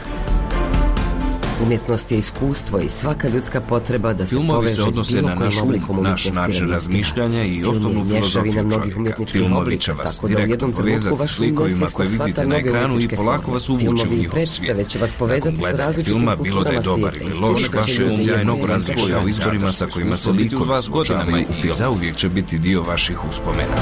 Umjetnost je iskustvo i svaka ljudska potreba da se Filmovi poveže se odnose s bilo na kojim naš um, oblikom naš umjetnosti način razmišljanja i osnovnu filozofiju čovjeka. Filmovi će vas direktno povezati s likovima koje vidite na ekranu i polako vas uvući u njihov svijet. Će vas povezati s različitim filma, bilo da je dobar ili loš, vaše sjajnog razmišlja o izborima sa kojima se likovi suočavaju i zauvijek će biti dio vaših uspomena.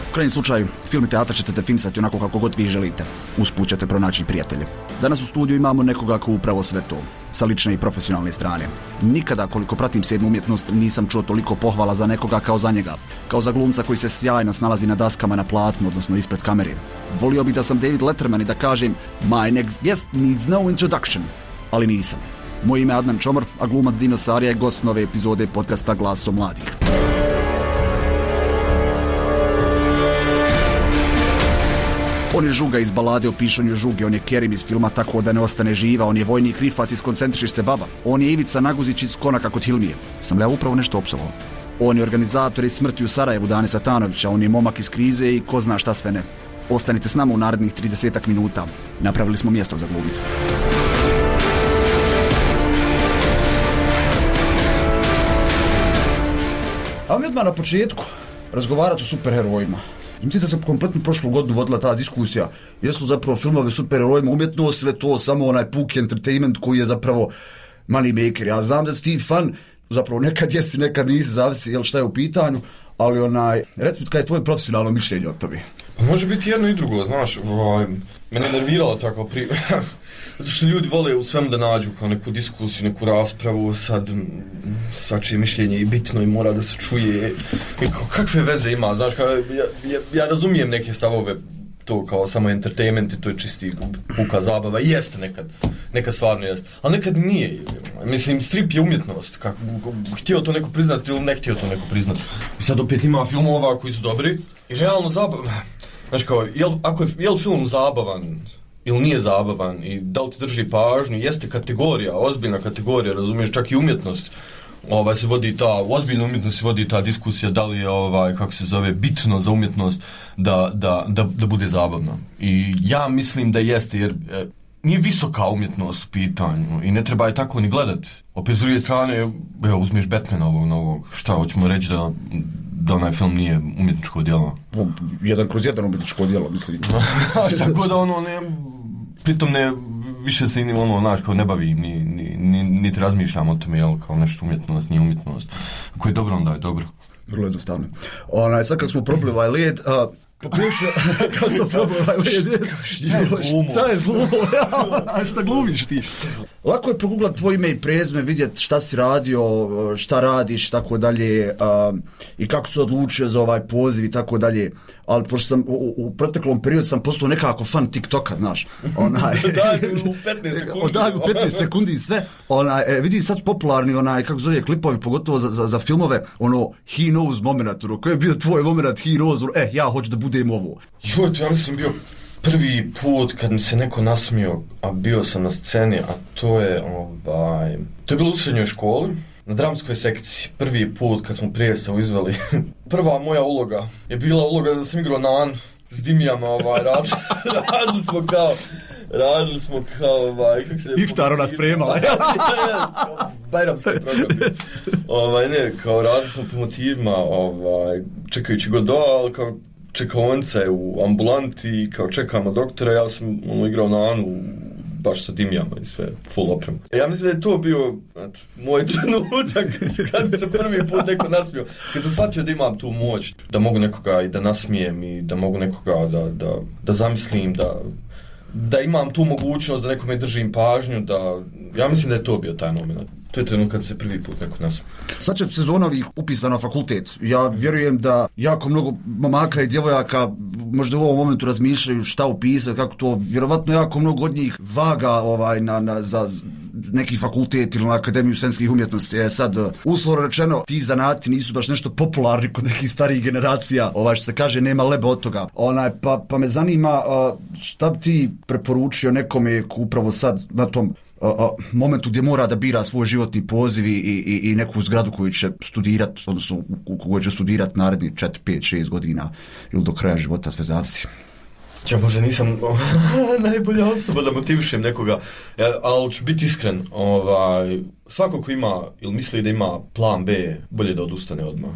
U krajnjem slučaju, film i teatar ćete definisati onako kako god vi želite. Usput ćete pronaći prijatelje. Danas u studiju imamo nekoga ko upravo sve to, sa lične i profesionalne strane. Nikada, koliko pratim sedmu umjetnost, nisam čuo toliko pohvala za nekoga kao za njega. Kao za glumca koji se sjajno snalazi na daskama na platnu, odnosno ispred kamere. Volio bih da sam David Letterman i da kažem My next guest needs no introduction. Ali nisam. Moje ime je Adnan Čomor, a glumac Dino Sarija je gost nove epizode podcasta Glaso mladih. On je Žuga iz balade o pišanju Žuge, on je Kerim iz filma Tako da ne ostane živa, on je vojnik Rifat iz Koncentrišiš se baba, on je Ivica Naguzić iz Konaka kod Hilmije. Sam li ja upravo nešto opsovao? On je organizator iz Smrti u Sarajevu Dane Satanovića, on je momak iz krize i ko zna šta sve ne. Ostanite s nama u narednih tridesetak minuta. Napravili smo mjesto za glumice. A mi odmah na početku razgovarati o superherojima. Mislim da se kompletno prošlu godinu vodila ta diskusija. Jesu zapravo filmovi superherojima umjetnost, sve to samo onaj puki entertainment koji je zapravo money maker. Ja znam da si ti fan, zapravo nekad jesi, nekad nisi, zavisi jel šta je u pitanju, ali onaj, recimo kada je tvoje profesionalno mišljenje o tome? Pa može biti jedno i drugo, znaš, ovaj, mene je nerviralo tako pri... Zato što ljudi vole u svemu da nađu kao neku diskusiju, neku raspravu, sad svačije mišljenje i bitno i mora da se čuje. I kakve veze ima, znaš, kao, ja, ja, ja razumijem neke stavove to kao samo entertainment i to je čisti puka zabava. I jeste nekad, nekad stvarno jeste. Ali nekad nije. Mislim, strip je umjetnost. Kako, htio to neko priznati ili ne htio to neko priznati. I sad opet ima filmova koji su dobri i realno zabavan. Znaš kao, jel, ako je, je li film zabavan ili nije zabavan i da li ti drži pažnju, jeste kategorija, ozbiljna kategorija, razumiješ, čak i umjetnost. Ovaj, se vodi ta, u ozbiljnoj umjetnosti se vodi ta diskusija da li je, ovaj, kako se zove, bitno za umjetnost da, da, da, da bude zabavna. I ja mislim da jeste, jer e, nije visoka umjetnost u pitanju i ne treba je tako ni gledati. Opet s druge strane, evo, uzmeš Batmana ovog novog, šta, hoćemo reći da, da onaj film nije umjetničko djelo? Jedan kroz jedan umjetničko djelo, mislim. Tako da ono, ne, pritom ne, više se ono, znaš, kao ne bavi, ni, ni, ni, niti razmišljam o tome, jel, kao nešto umjetnost, nije umjetnost. Ako je dobro, onda je dobro. Vrlo jednostavno. Onaj, sad kako smo probili ovaj led, a, pokušao, kako smo probili ovaj led, šta je glumo? Šta je glumo? Šta glumiš ti? Lako je proguglat tvoje ime i prezme, vidjeti šta si radio, šta radiš, tako dalje, a, i kako se odlučio za ovaj poziv i tako dalje. Ali pošto sam u, u proteklom periodu sam postao nekako fan TikToka, znaš. Onaj, daj mi u petnaest sekundi. Daj mi u petnaest sekundi i sve. Onaj, e, vidi sad popularni onaj, kako zove, klipovi, pogotovo za, za, za filmove, ono, he knows moment, ono, koji je bio tvoj moment, he knows, ono, eh, ja hoću da budem ovo. Jo, to ja mislim bio prvi put kad mi se neko nasmio, a bio sam na sceni, a to je, ovaj, to je bilo u srednjoj školi, na dramskoj sekciji, prvi put kad smo predstavu izveli. Prva moja uloga je bila uloga da sam igrao nan s Dimijama, ovaj, radili, radili smo kao, radili smo kao, ovaj, kako se... Iftar ona spremala. Bajramski program. Ovaj, ne, kao radili smo po motivima, ovaj, čekajući Godot, ali kao čekaonice u ambulanti, kao čekamo doktora, ja sam ono, igrao na Anu, baš sa Dimijama i sve, full opremu. Ja mislim da je to bio at, moj trenutak kad mi se prvi put neko nasmio. Kad sam shvatio da imam tu moć, da mogu nekoga i da nasmijem i da mogu nekoga da, da, da zamislim, da, da imam tu mogućnost da nekome držim pažnju, da, ja mislim da je to bio taj moment. To je trenutak kad se prvi put neko nasmio. Sad će sezona ovih upisa na fakultet. Ja vjerujem da jako mnogo momaka i djevojaka možda u ovom momentu razmišljaju šta upisati, kako to, vjerovatno jako mnogo od njih vaga ovaj, na, na, za neki fakultet ili na Akademiju scenskih umjetnosti. Je sad, uslovno rečeno, ti zanati nisu baš nešto popularni kod nekih starijih generacija, ovaj, što se kaže, nema leba od toga. Onaj, pa, pa me zanima šta bi ti preporučio nekome upravo sad na tom A, a, momentu gdje mora da bira svoj životni poziv i, i, i neku zgradu koju će studirati, odnosno u kojoj će studirati naredni četiri, pet, šest godina ili do kraja života, sve zavisi. Ja možda nisam najbolja osoba da motivišem nekoga, ja, ali ću biti iskren, ovaj, svako ko ima ili misli da ima plan B, bolje da odustane odmah.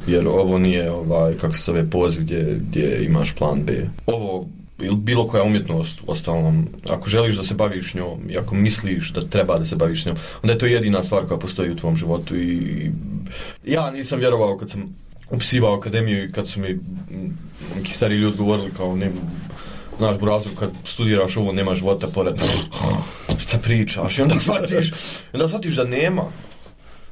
Jer ovo nije, ovaj, kako se zove, poziv gdje, gdje imaš plan B. Ovo ili bilo koja umjetnost, ostalom, ako želiš da se baviš njom i ako misliš da treba da se baviš njom, onda je to jedina stvar koja postoji u tvom životu. I ja nisam vjerovao kad sam upisivao akademiju i kad su mi neki stari ljudi govorili kao ne, naš burazu, kad studiraš ovo nema života pored, šta pričaš, i onda shvatiš, onda shvatiš da nema,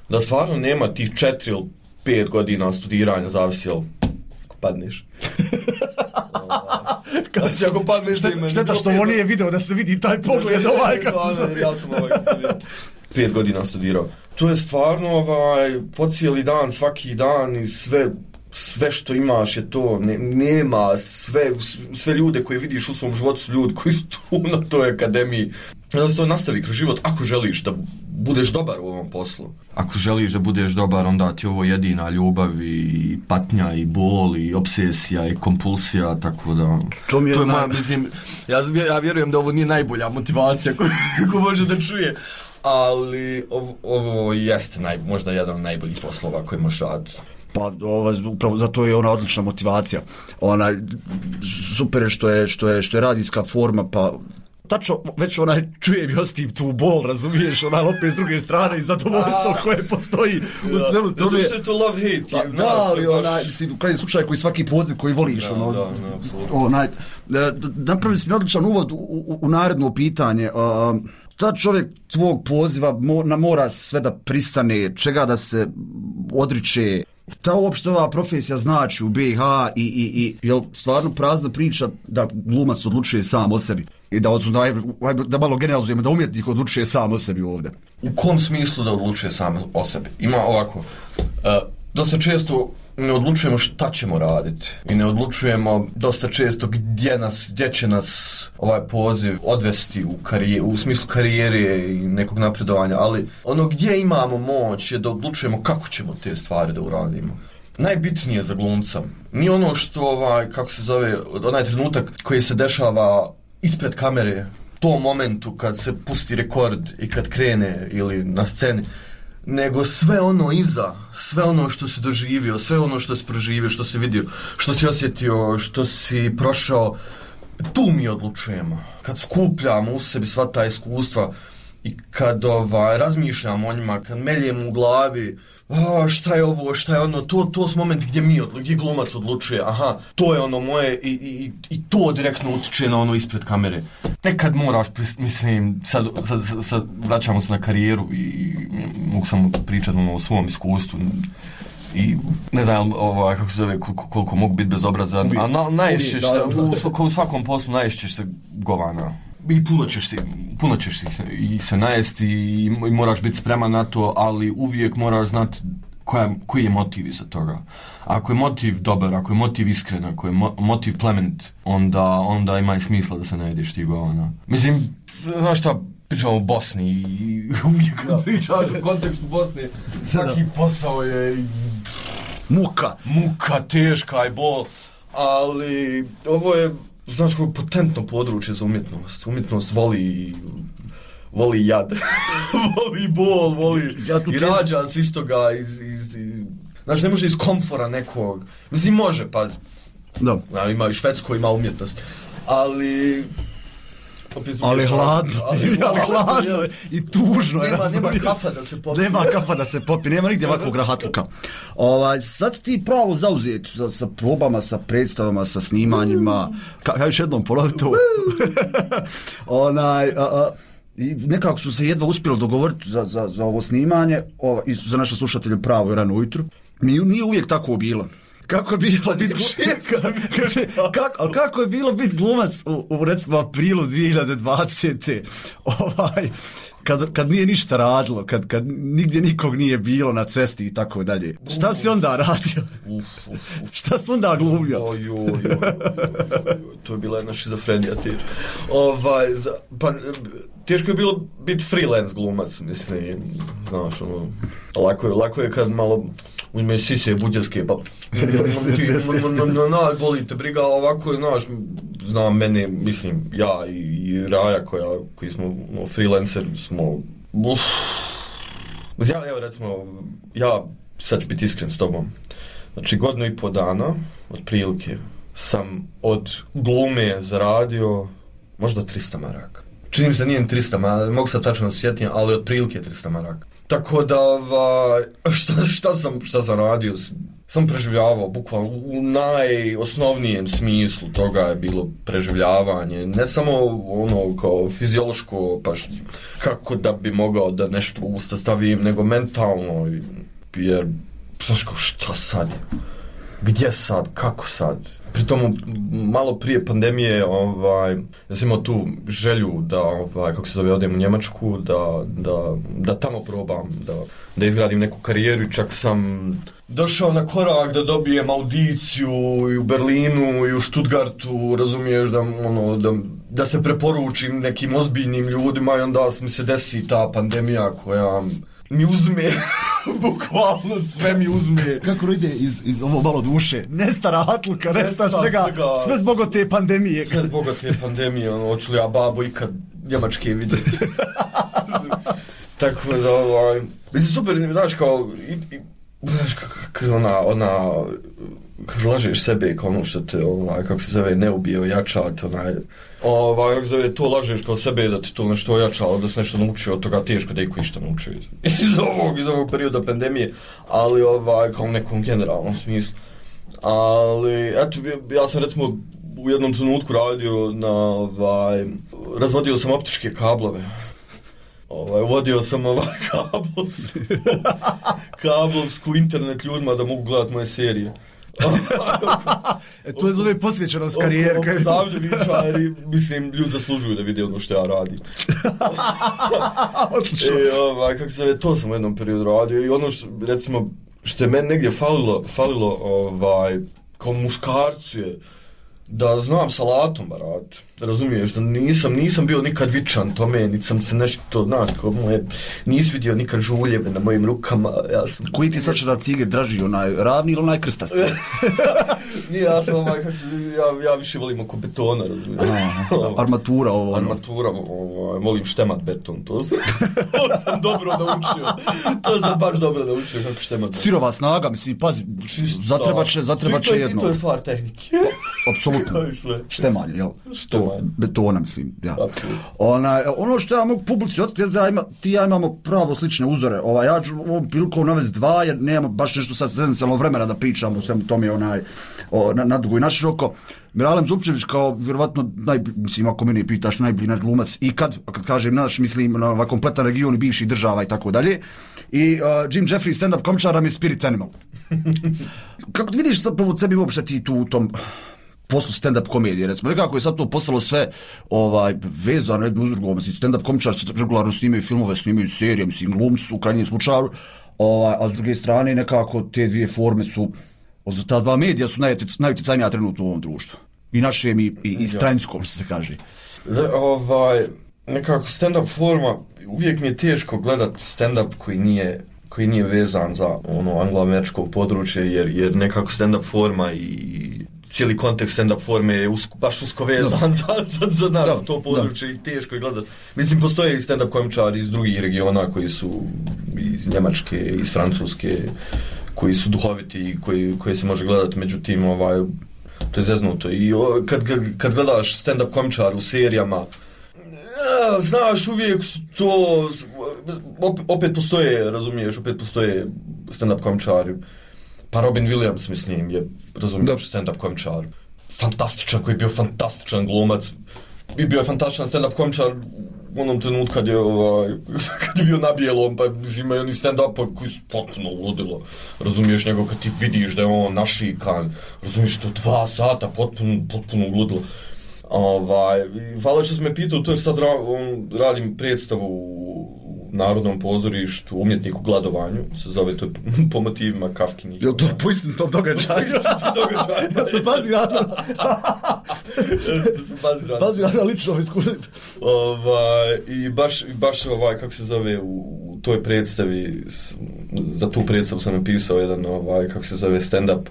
da stvarno nema tih četiri ili pet godina studiranja, zavisi jel padneš. Kad se ako padneš, šteta, šteta što on nije video da se vidi taj pogled ovaj kako se ja sam ovaj kad sam vidio. Pet godina studirao. To je stvarno ovaj po cijeli dan, svaki dan i sve sve što imaš je to, ne, nema sve sve ljude koje vidiš u svom životu su ljudi koji su tu na toj akademiji. Da se to nastavi kroz život ako želiš da budeš dobar u ovom poslu. Ako želiš da budeš dobar, onda ti ovo jedina ljubav i patnja i bol i obsesija i kompulsija, tako da to, mi je, to je moja, mislim, ja, ja vjerujem da ovo nije najbolja motivacija koju ko može da čuje, ali ovo, ovo jeste naj, možda jedan od najboljih poslova koji možeš raditi. Pa ova, upravo zato je ona odlična motivacija. Ona super je što je što je što je radijska forma, pa tačno već onaj čujem i ostim tu bol, razumiješ, onaj opet s druge strane i zadovoljstvo koje postoji u svemu tome. Zato što je to love hate. Pa, da, ali onaj, mislim, u krajnjem slučaju koji svaki poziv koji voliš, da, ono, da, da, onaj, napravili smo odličan uvod u, u, u naredno pitanje. Uh, ta čovjek tvog poziva mora, mora sve da pristane, čega da se odriče, Ta uopšte ova profesija znači u B i H i, i, i jel stvarno prazna priča da glumac odlučuje sam o sebi i da, da, da malo generalizujemo da umjetnik odlučuje sam o sebi ovdje. U kom smislu da odlučuje sam o sebi? Ima ovako, uh, dosta često ne odlučujemo šta ćemo raditi i ne odlučujemo dosta često gdje nas, gdje će nas ovaj poziv odvesti u, karijer, u smislu karijere i nekog napredovanja, ali ono gdje imamo moć je da odlučujemo kako ćemo te stvari da uradimo. Najbitnije za glumca nije ono što, ovaj, kako se zove, onaj trenutak koji se dešava ispred kamere, tom momentu kad se pusti rekord i kad krene ili na sceni, nego sve ono iza, sve ono što si doživio, sve ono što si proživio, što si vidio, što si osjetio, što si prošao, tu mi odlučujemo. Kad skupljamo u sebi sva ta iskustva i kad ovaj, razmišljamo o njima, kad meljemo u glavi, a, šta je ovo, šta je ono, to, to je moment gdje mi, gdje glumac odlučuje, aha, to je ono moje i, i, i to direktno utiče na ono ispred kamere. Nekad moraš, mislim, sad, sad, sad vraćamo se na karijeru i, i mogu samo pričati ono, o svom iskustvu i ne znam ovaj, kako se zove, koliko, koliko mogu biti bezobrazan, a na, naješćeš se, u, u svakom poslu naješćeš se govana. I puno ćeš se, puno ćeš se, i se najesti i, i moraš biti spreman na to, ali uvijek moraš znati koja, koji je motiv iza toga. Ako je motiv dobar, ako je motiv iskren, ako je mo, motiv plemenit, onda, onda ima i smisla da se najedeš ti govana. Mislim, znaš šta, pričamo o Bosni i uvijek kad pričaš u kontekstu Bosne, svaki posao je muka, muka, teška i bol, ali ovo je, znaš, kako je potentno područje za umjetnost. Umjetnost voli, voli jad, voli bol, voli ja i rađa s istoga iz, iz, iz, znači ne može iz komfora nekog, mislim može, pazi, da. Ja, ima i Švedsko, ima umjetnost, ali ali hladno, ali hladno i tužno. Nema, nema kafa da se popi. Nema kafa da se popi, nema nigdje ovakvog rahatluka. Ovaj, sad ti pravo zauzeti sa, sa probama, sa predstavama, sa snimanjima. Ka, ja još jednom ponovim to. Onaj, a, a, i nekako smo se jedva uspjeli dogovoriti za, za, za ovo snimanje o, i za naše slušatelje pravo i rano ujutru. Mi nije uvijek tako bilo. Kako je bilo biti glumac, kako, kako je bilo biti glumac u, u recimo aprilu dvije hiljade dvadesete. Ovaj, kad, kad nije ništa radilo, kad, kad nigdje nikog nije bilo na cesti i tako dalje. Šta si onda radio? Uf, uf, uf. Šta si onda glumio? Oj, oj, oj, oj, to je bila jedna šizofrenija teška. Ovaj, za, pa, teško je bilo biti freelance glumac, mislim, znaš, ono, lako je, lako je kad malo uzme sise buđarske, pa boli te briga, ovako je, znaš, znam mene, mislim, ja i Raja koja, koji smo no, freelancer, smo, uf, ja, evo recimo, ja sad ću biti iskren s tobom, znači godinu i po dana, otprilike, sam od glume zaradio možda trista maraka. Čini mi se nije trista maraka, mogu sad tačno da se sjetim, ali otprilike trista maraka. Tako da, ovaj, šta, šta, sam, šta sam radio, sam preživljavao, bukvalno u najosnovnijem smislu toga je bilo preživljavanje, ne samo ono kao fiziološko, pa š, kako da bi mogao da nešto u usta stavim, nego mentalno, jer, znaš kao, šta sad je? Gdje sad? Kako sad? Pritom, malo prije pandemije, ovaj, ja sam imao tu želju da, ovaj, kako se zove, odem u Njemačku, da, da, da tamo probam, da, da izgradim neku karijeru i čak sam došao na korak da dobijem audiciju i u Berlinu i u Stuttgartu, razumiješ, da, ono, da, da se preporučim nekim ozbiljnim ljudima i onda mi se desi ta pandemija koja mi uzme, bukvalno sve mi uzme. Kako ide iz, iz ovo malo duše? Nesta rahatluka, nesta svega, svega, sve zbog te pandemije. Sve zbog te pandemije, ono, hoću li ja babo ikad Njemačke vidjeti. Tako da, ovaj, mislim, super, znaš, kao, i, i, znaš, kako ona, ona, kad lažeš sebe, kao ono što te, ovaj, kako se zove, ne ubije, ojačat, onaj, ovaj, kako se zove, to lažeš kao sebe da ti to nešto ojačalo, da se nešto naučio od toga, teško da iko išta naučio iz, iz ovog, iz ovog perioda pandemije, ali, ovaj, kao u nekom generalnom smislu. Ali, eto, ja sam, recimo, u jednom trenutku radio na, ovaj, razvodio sam optičke kablove. Ovaj, uvodio sam ovaj kabel, kablovsku internet ljudima da mogu gledati moje serije. E, to je zove posvećenost karijere. Oko zavljevičari, mislim, ljudi zaslužuju da vide ono što ja radim. E, ovaj, kako se, to sam u jednom periodu radio i ono što, recimo, što je meni negdje falilo, falilo ovaj, kao muškarcu je da znam salatom barat, razumiješ, da nisam, nisam bio nikad vičan tome, niti sam se nešto, znaš, kao moje, nis vidio nikad žuljeve na mojim rukama, ja sam... Koji ti sad da ciger draži, onaj ravni ili onaj krstasti? Nije, ja sam ovaj, kako se, ja, ja više volim oko betona, razumiješ. Armatura ovo. Armatura, ovaj, volim štemat beton, to sam, to sam dobro naučio, to sam baš dobro naučio kako štemat beton. Sirova snaga, mislim, pazi, zatrebat će, zatrebat će jedno. To je stvar tehnike. Apsolutno. Štemanje, jel? To, betona, mislim, ja. Ona, ono što ja mogu publici otkriti, da ima, ti ja imamo pravo slične uzore. Ova, ja ću ovom prilikom navesti dva, jer nemamo baš nešto sad esencijalno vremena da pričamo o svemu tome onaj, o, na, na dugo i naširoko. Miralem Zupčević kao, vjerovatno, naj, mislim, ako mene pitaš, najbolji naš glumac ikad, a kad kažem naš, mislim, na ovaj kompletan region i bivših država i tako dalje. I uh, Jim Jeffries, stand-up komičar, nam je spirit animal. Kako ti vidiš sad prvo sebi uopšte ti tu u tom poslu stand-up komedije, recimo, nekako je sad to postalo sve ovaj, vezano jedno uz drugo, mislim, stand-up komičar se regularno snimaju filmove, snimaju serije, mislim, glumci u krajnjem slučaju, ovaj, a s druge strane nekako te dvije forme su, ta dva medija su najuticajnija trenutno u ovom društvu. I našem i, i, i stranskom, se kaže. Ovaj, nekako stand-up forma, uvijek mi je teško gledat stand-up koji nije koji nije vezan za ono anglo-američko područje, jer, jer nekako stand-up forma i cijeli kontekst stand-up forme je usko, baš usko vezan za, za, za naš, to područje da. I teško je gledat. Mislim, postoje i stand-up komičari iz drugih regiona koji su iz Njemačke, iz Francuske, koji su duhoviti i koji, koji se može gledati, međutim, ovaj, to je zeznuto. I o, kad, kad gledaš stand-up komičar u serijama, ja, znaš, uvijek su to, opet postoje, razumiješ, opet postoje stand-up komičari. Pa Robin Williams, mislim, je, razumiješ, stand-up komičar. Fantastičan, koji je bio fantastičan glumac. I bio je fantastičan stand-up komičar u onom trenutku kad je, ovaj, kad je bio na bijelom, pa imaju oni stand-up koji su potpuno ludilo. Razumiješ, nego kad ti vidiš da je on našikan, razumiješ, to dva sata potpuno, potpuno ludilo. Ovaj, hvala što sam me pitao, to je sad ra, on, radim predstavu u Narodnom pozorištu Umjetnik u gladovanju, se zove to po motivima Kafkinih. Jel to po istinitom događaju? Po istinitom događaju. Ja to bazirano. To smo bazirano. Bazirano lično iskustvo. Ovaj, i baš, baš ovaj, kako se zove, u, u toj predstavi, za tu predstavu sam napisao jedan, ovaj, kako se zove, stand-up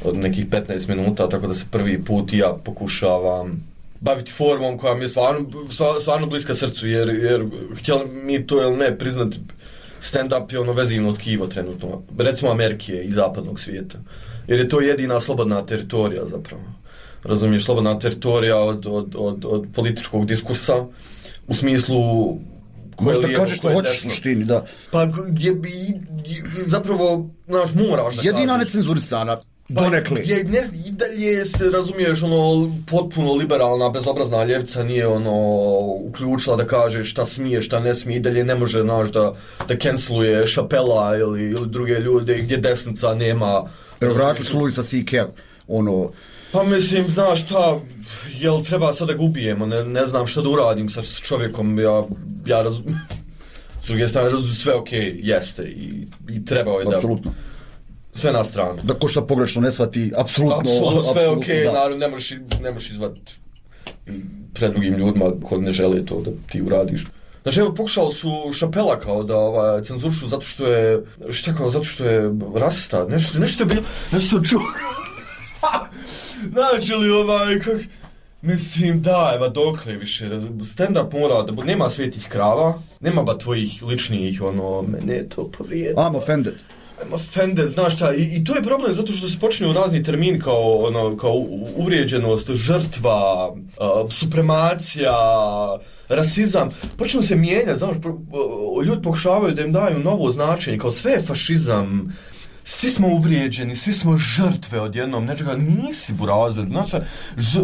od nekih petnaest minuta, tako da se prvi put ja pokušavam baviti formom koja mi je stvarno, stvarno bliska srcu, jer, jer htjeli mi to ili ne priznati, stand-up je ono vezivno tkivo trenutno, recimo Amerike i zapadnog svijeta, jer je to jedina slobodna teritorija zapravo. Razumiješ, slobodna teritorija od, od, od, od političkog diskursa, u smislu možda kažeš što hoćeš u suštini, da. Pa je, je, je, zapravo, znaš, moraš da jedina necenzurisana. Donekli. Pa, ne, i dalje se, razumiješ, ono, potpuno liberalna, bezobrazna ljevica nije, ono, uključila da kaže šta smije, šta ne smije, i dalje ne može, znaš, da, da canceluje Chappella ili, ili druge ljude gdje desnica nema. Evo, vratili su Louisa C K, ono... Pa mislim, znaš šta, jel treba sad da ga ubijemo, ne, ne znam šta da uradim sa čovjekom, ja, ja razumijem, s druge strane, razumijem, sve okej, okay, jeste, i, i trebao je da... Apsolutno. Sve na stranu. Da ko šta pogrešno ne shvati, apsolutno... Apsolutno, sve je okej, okay, naravno, ne možeš, ne možeš izvaditi pred drugim ljudima koji ne žele to da ti uradiš. Znači, evo, pokušali su Chappella kao da ovaj, cenzuršu zato što je, šta kao, zato što je rasista, nešto, nešto je bilo, nešto čuo. Znači li ovaj, kak... Mislim, da, eva, dokle više, stand-up mora da bude, nema svetih krava, nema ba tvojih ličnih, ono, mene je to povrijedno. I'm offended. I'm offended, znaš šta, i, i to je problem zato što se počinju razni termini kao, ono, kao uvrijeđenost, žrtva, uh, supremacija, rasizam, počinju se mijenjati, znaš, ljudi pokušavaju da im daju novo značenje, kao sve je fašizam, svi smo uvrijeđeni, svi smo žrtve odjednom nečega, nisi burazer, znaš, ž,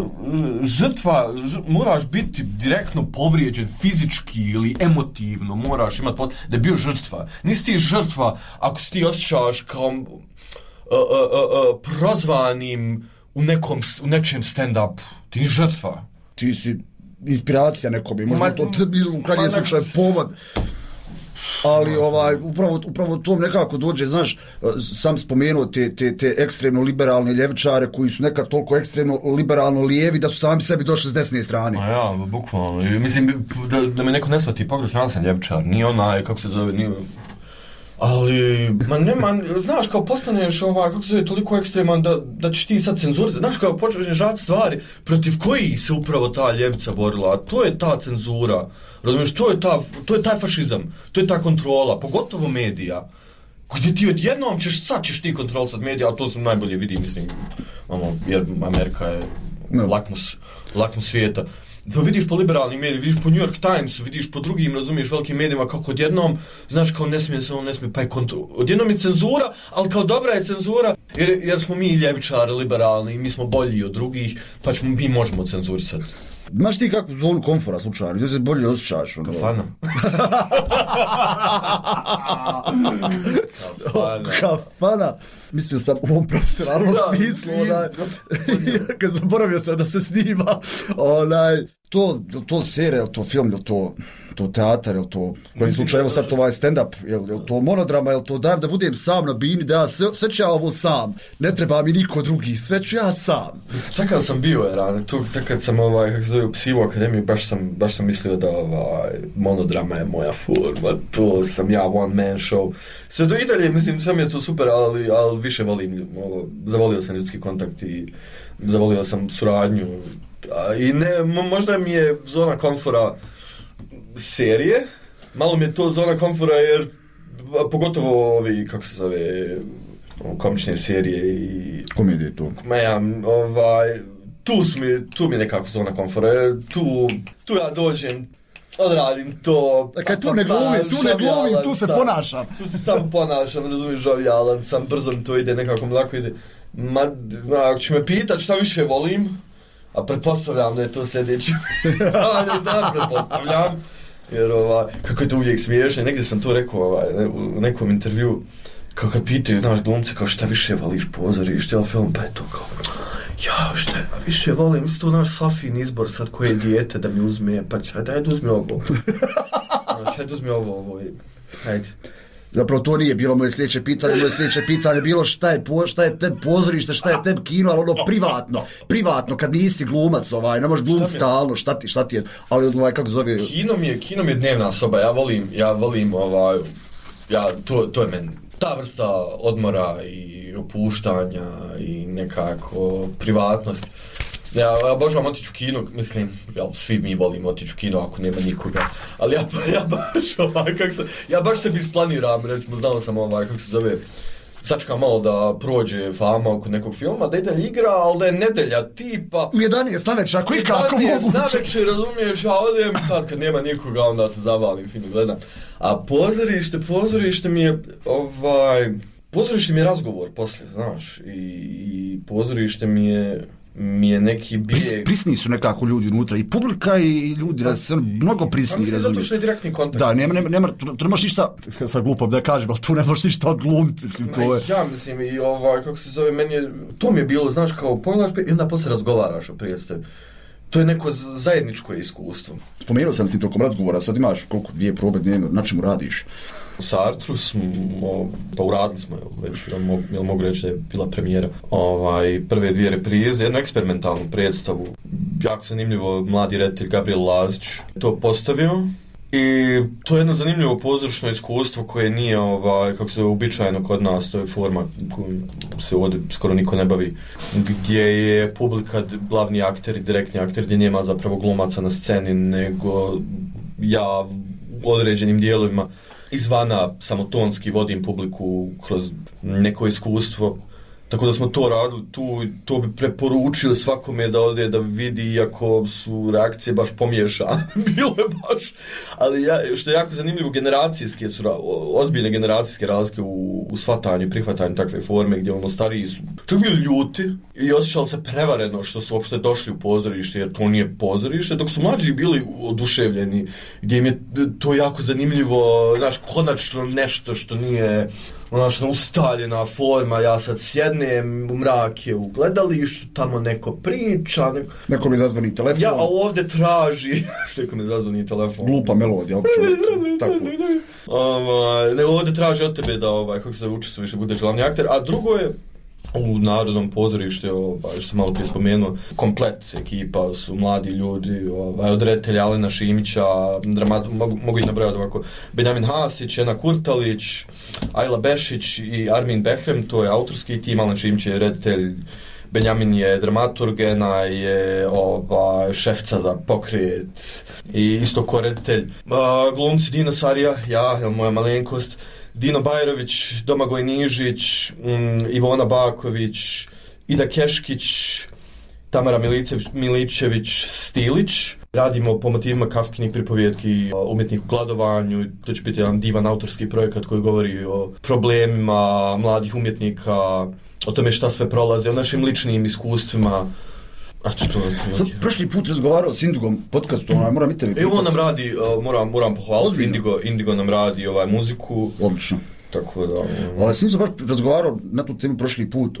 žrtva, ž, moraš biti direktno povrijeđen fizički ili emotivno, moraš imati da je bio žrtva. Nisi ti žrtva ako si ti osjećaš kao uh, uh, uh, uh, prozvanim u, nekom, u nečem stand-upu, ti si žrtva. Ti si inspiracija nekom, možda to u krajnjem slučaju povod. Ali ovaj, upravo, upravo to nekako dođe, znaš, sam spomenuo te, te, te ekstremno liberalne ljevičare koji su nekad toliko ekstremno liberalno lijevi da su sami sebi došli s desne strane. A ja, bukvalno. Mislim, da, da me neko ne shvati pogrešno, ja sam ljevičar, nije onaj, kako se zove, nije... Ali, ma nema, znaš, kao postaneš ovaj, kako se zove, toliko ekstreman da, da ćeš ti sad cenzurirati. Znaš, kao počneš raditi stvari protiv koji se upravo ta ljevica borila, a to je ta cenzura. Razumiješ, to je, ta, to je taj fašizam, to je ta kontrola, pogotovo medija. Gdje ti odjednom ćeš, sad ćeš ti kontrolisati medija, a to sam najbolje vidi, mislim, ono, jer Amerika je no. lakmus, lakmus svijeta. To vidiš po liberalnim medijima, vidiš po New York Timesu, vidiš po drugim, razumiješ, velikim medijima, kako odjednom, znaš, kao ne smije se, on ne smije, pa je kontrol. Odjednom je cenzura, ali kao dobra je cenzura, jer, jer smo mi ljevičari, liberalni, i mi smo bolji od drugih, pa ćemo, mi možemo cenzurisati. Imaš ti kakvu zonu komfora slučajno, gdje se bolje osjećaš? Kafana. Kafana. Kafana. Mislio sam u ovom profesionalnom smislu, onaj, kad zaboravio sam da se snima, onaj, to, to serija, to film, je to, to teatar, je to, u kojem slučaju, evo sad to ovaj stand-up, je, je to monodrama, je to dajem da budem sam na bini, da ja sve, sve ću ja ovo sam, ne treba mi niko drugi, sve ću ja sam. Čekao sam bio, je rane, tu kad sam, ovaj, kako se zove, u Psivu akademiju, baš sam, baš sam mislio da ovaj, monodrama je moja forma, to sam ja one man show. Sve to i dalje, mislim, sve mi je to super, ali, ali više volim, ovo, zavolio sam ljudski kontakt i zavolio sam suradnju. I ne, možda mi je zona komfora serije, malo mi je to zona komfora jer pogotovo ovi, kako se zove, komične serije i... Komedije tu. Ja, ovaj, tu, su mi, tu mi je nekako zona komfora jer tu, tu ja dođem, odradim to... Dakle, tu ne glumim, tu ne glumim, tu se sam, ponašam. Tu se sam ponašam, razumiješ, žavijalan sam, brzo mi to ide, nekako mi lako ide. Ma, zna, ako ću me pitat šta više volim, a pretpostavljam da je to sljedeće. A ne znam, pretpostavljam. Jer ovaj, kako je to uvijek smiješno. Negdje sam to rekao ovaj, ne, u nekom intervju. Kao kad pitaju, znaš, glumce, kao šta više voliš pozorište ili film, pa je to kao... Ja, šta ja više volim, mislim to naš Safin izbor sad koje dijete da mi uzme, pa će, dajde uzmi ovo. Znaš, dajde uzmi ovo, ovo, hajde. Zapravo to nije bilo moje sljedeće pitanje, moje sljedeće pitanje bilo šta je, po, šta je te pozorište, šta je te kino, ali ono privatno, privatno, kad nisi glumac, ovaj, ne možeš glumiti stalno, šta ti, šta ti je, ali ovaj, kako zove... Kino mi je, kino mi je dnevna soba, ja volim, ja volim, ovaj, ja, to, to je meni, ta vrsta odmora i opuštanja i nekako privatnost. Ja, ja obožavam otići u kino, mislim, ja, svi mi volimo otići u kino ako nema nikoga, ali ja, ja baš ovaj, kako se, ja baš sebi isplaniram, recimo, znao sam ovaj, kako se zove, sačekam malo da prođe fama oko nekog filma, da ide igra, ali da je nedelja tipa... U jedanaest navečer, ako i kako moguće. U jedanaest navečer, razumiješ, a odem, tad kad nema nikoga, onda se zavalim, film gledam. A pozorište, pozorište mi je, ovaj, pozorište mi je razgovor poslije, znaš, i, i pozorište mi je... mi je neki bijeg... Pris, prisni su nekako ljudi unutra, i publika i ljudi, pa, raz, mnogo prisni. Mislim, zato što je direktni kontakt. Da, nema, nema, nema, tu ne možeš ništa, sad glupo da kažem, ali tu ne možeš ništa odglumiti, mislim, to je... Ja mislim, i ovaj, kako se zove, meni je, to mi je bilo, znaš, kao pogledaš i onda poslije razgovaraš o predstavi. To je neko zajedničko iskustvo. Spomenuo sam si tokom razgovora, sad imaš koliko dvije probe dnevno, na čemu radiš? U Sartru smo, pa uradili smo već, jel mogu reći da je bila premijera, ovaj, prve dvije reprize, jednu eksperimentalnu predstavu. Jako zanimljivo, mladi reditelj Gabriel Lazić to postavio. I to je jedno zanimljivo pozorišno iskustvo koje nije, ovaj, kako se uobičajeno kod nas, to je forma koju se ovdje skoro niko ne bavi, gdje je publika glavni akter i direktni akter, gdje nema zapravo glumaca na sceni, nego ja u određenim dijelovima izvana samotonski vodim publiku kroz neko iskustvo Tako da smo to radili tu, to bi preporučili svakome da ode da vidi, iako su reakcije baš pomiješane. Bilo je baš, ali ja, što je jako zanimljivo, generacijske su, ozbiljne generacijske razlike u, u shvatanju i prihvatanju takve forme, gdje ono stariji su čak bili ljuti i osjećali se prevareno što su uopšte došli u pozorište, jer to nije pozorište, dok su mlađi bili oduševljeni, gdje im je to jako zanimljivo, znaš, konačno nešto što nije onaš ustaljena forma, ja sad sjednem u mrake u gledalištu, tamo neko priča, neko, neko mi zazvoni telefon. Ja, a ovdje traži, neko mi zazvoni telefon. Glupa melodija, tako. Ovaj, ne, ovdje traži od tebe da, ovaj, kako se učestvuješ, budeš glavni akter, a drugo je u Narodnom pozorištu, ovaj, što sam malo prije spomenuo, komplet ekipa su mladi ljudi, ovaj, od reditelja Alena Šimića, dramat, mogu, mogu ih nabrojati ovako, Benjamin Hasić, Ena Kurtalić, Ajla Bešić i Armin Behrem, to je autorski tim, Alen Šimić je reditelj, Benjamin je dramaturg, Ena je ovaj, šefca za pokret i isto ko reditelj. Uh, glumci Dino Sarija, ja, jel, moja malenkost, Dino Bajrović, Domagoj Nižić, um, Ivona Baković, Ida Keškić, Tamara Milicević, Miličević, Stilić. Radimo po motivima Kafkinih pripovjetki o umjetniku gladovanju. To će biti jedan divan autorski projekat koji govori o problemima mladih umjetnika, o tome šta sve prolaze, o našim ličnim iskustvima. Sam prošli put razgovarao s Indigom podcastu, onaj, moram i tebi. Evo on nam radi, uh, moram, moram pohvaliti, Indigo, Indigo nam radi ovaj, muziku. Odlično. Tako da... Ali sam sam baš razgovarao na tu temu prošli put.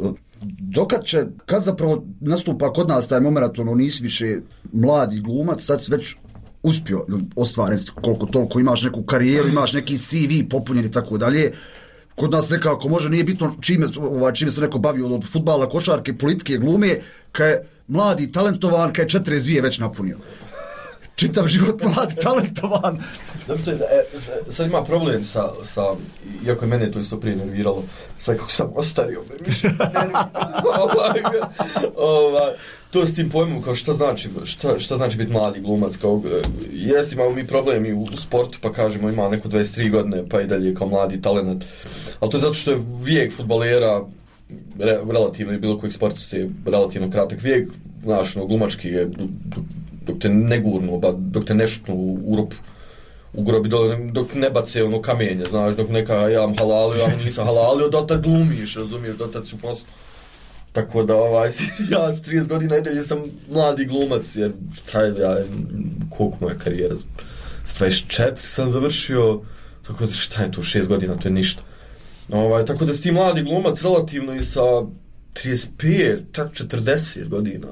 Dokad će, kad zapravo nastupa kod nas taj moment, ono, nisi više mladi glumac, sad si već uspio ostvariti koliko toliko, imaš neku karijeru, imaš neki C V popunjen i tako dalje. Kod nas nekako može, nije bitno čime, ovaj, čime se neko bavio od fudbala, košarke, politike, glume, kad je mladi, talentovan, kad je četiri zvije već napunio. Čitav život mladi, talentovan. Dobro, to je, e, sad ima problem sa, sa, iako je mene to isto prije nerviralo, sad kako sam ostario, me više ovaj, ovaj, to s tim pojmom, kao šta znači, šta, šta znači biti mladi glumac, kao, jest imamo mi problem i u, u sportu, pa kažemo ima neko dvadeset tri godine, pa i dalje kao mladi talent, ali to je zato što je vijek fudbalera, re, relativno i bilo kojeg sportista je relativno kratak vijek, znaš, no, glumački je, dok te ne gurnu, dok te ne šutnu u rupu, u grobi dole, dok ne bace ono kamenje, znaš, dok neka ja vam halalio, ja nisam halalio, dotad glumiš, razumiješ, dotad su poslu. Tako da, ovaj, ja s trideset godina i dalje sam mladi glumac, jer šta je, ja, koliko moja karijera, s dvadeset četiri sam završio, tako da šta je to, šest godina, to je ništa. Ovaj, tako da si ti mladi glumac relativno i sa trideset pet, čak četrdeset godina.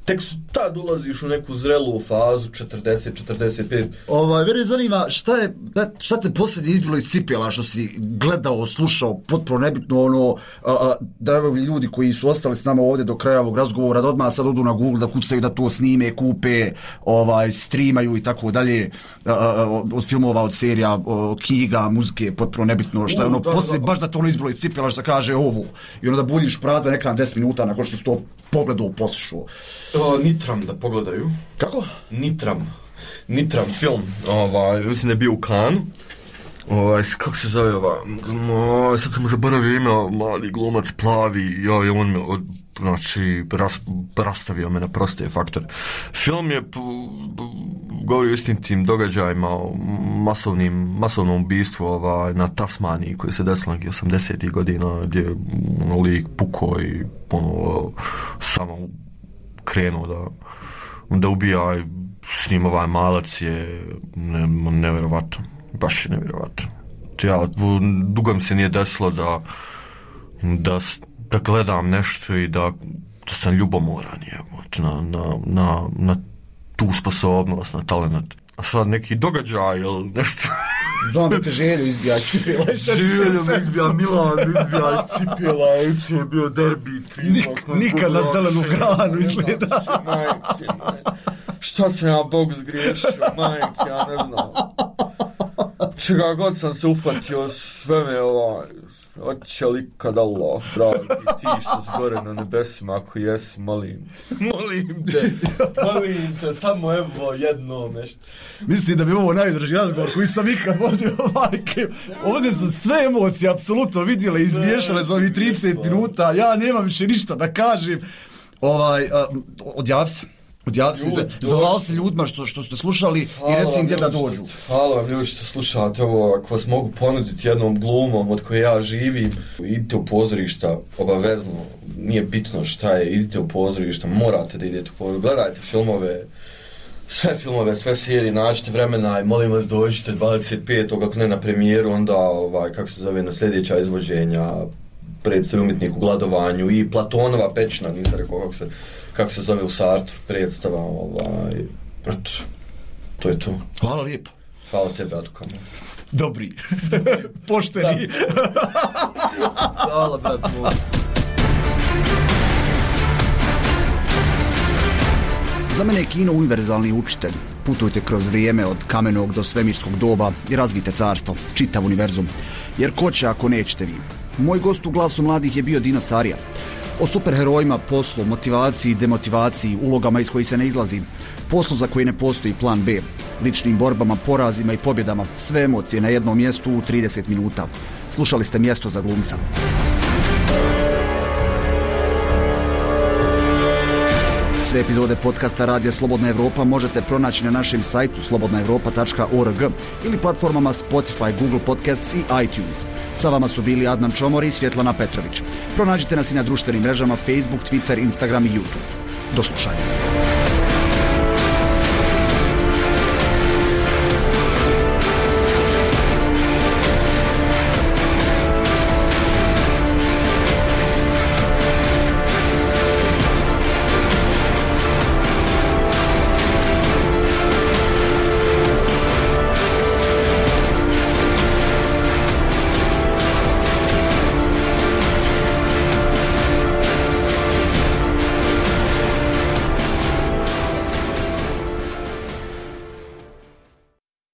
Tek su tad ulaziš u neku zrelu fazu, četrdeset, četrdeset pet. Ovaj, mene zanima, šta je, šta te posljednje izbilo iz cipela, što si gledao, slušao, potpuno nebitno, ono, a, a, da ljudi koji su ostali s nama ovdje do kraja ovog razgovora, da odmah sad odu na Google, da kucaju, da to snime, kupe, ovaj, streamaju i tako dalje, a, a, od filmova, od serija, o, knjiga, muzike, potpuno nebitno, šta je ono, poslije, baš da to ono izbilo iz cipela, što kaže ovo, i ono da buljiš prazan ekran deset minuta nakon što si to pogledao, poslušao. O, Nitram da pogledaju. Kako? Nitram. Nitram film. Ovaj, mislim da je bio u Kanu. Ovaj, kako se zove ova? O, sad sam mu zaboravio ime, mladi glumac, plavi, ja, on me od, znači, ras, rastavio me na proste faktore. Film je p, p, govori o istim tim događajima, o masovnim, masovnom ubistvu ovaj, na Tasmaniji koji se desilo nekih osamdesetih godina, gdje je ono, lik pukao i ono, samo krenuo da, da ubija, s njim ovaj malac je ne, nevjerovatno, baš je nevjerovatno. Ja, dugo mi se nije desilo da, da, da gledam nešto i da, da sam ljubomoran na, na, na, na tu sposobnost, na talent. A sad neki događaj ili nešto... Znam da te želju izbija cipela. Želju mi izbija Milan, izbija iz cipela, uče je bio derbi. Nik, nikad na zelenu granu izgleda. Majke, majke. Šta sam ja Bog zgriješio, majke, ja ne znam. Čega god sam se ufatio, sve me ovaj, Oće li kad Allah, dragi, ti što si gore na nebesima, ako jesi, molim, molim te, molim te, samo evo jedno nešto. Mislim da bi ovo najdraži razgovor koji sam ikad vodio, majke. Ovdje su sve emocije apsolutno vidjele i izmiješale za ovih trideset minuta, ja nemam više ništa da kažem. Ovaj, odjav se. Odjav se, zavali se ljudima što, što ste slušali hvala i reci im gdje da dođu. Hvala vam ljudi što slušate ovo, ako vas mogu ponuditi jednom glumom od koje ja živim, idite u pozorišta, obavezno, nije bitno šta je, idite u pozorišta, morate da idete u pozorišta, gledajte filmove, sve filmove, sve serije, nađite vremena i molim vas dođite dvadeset petog ako ne na premijeru, onda ovaj, kako se zove, na sljedeća izvođenja, predstav umjetnik u gladovanju i Platonova pećina, nisam rekao kako se, kako se zove u Sartru, predstava, ovaj, eto, to je to. Hvala lijepo. Hvala tebe, Adukamo. Dobri. Pošteni. Hvala, brat moj. Za mene je kino univerzalni učitelj. Putujte kroz vrijeme od kamenog do svemirskog doba i razvijte carstvo, čitav univerzum. Jer ko će ako nećete vi? Moj gost u Glasu mladih je bio Dino Sarija. O superherojima, poslu, motivaciji, demotivaciji, ulogama iz kojih se ne izlazi, poslu za koji ne postoji plan B, ličnim borbama, porazima i pobjedama, sve emocije na jednom mjestu u trideset minuta. Slušali ste Mjesto za glumca. Sve epizode podcasta Radija Slobodna Evropa možete pronaći na našem sajtu slobodna evropa tačka org ili platformama Spotify, Google Podcasts i iTunes. Sa vama su bili Adnan Čomor i Svjetlana Petrović. Pronađite nas i na društvenim mrežama Facebook, Twitter, Instagram i YouTube. Do slušanja.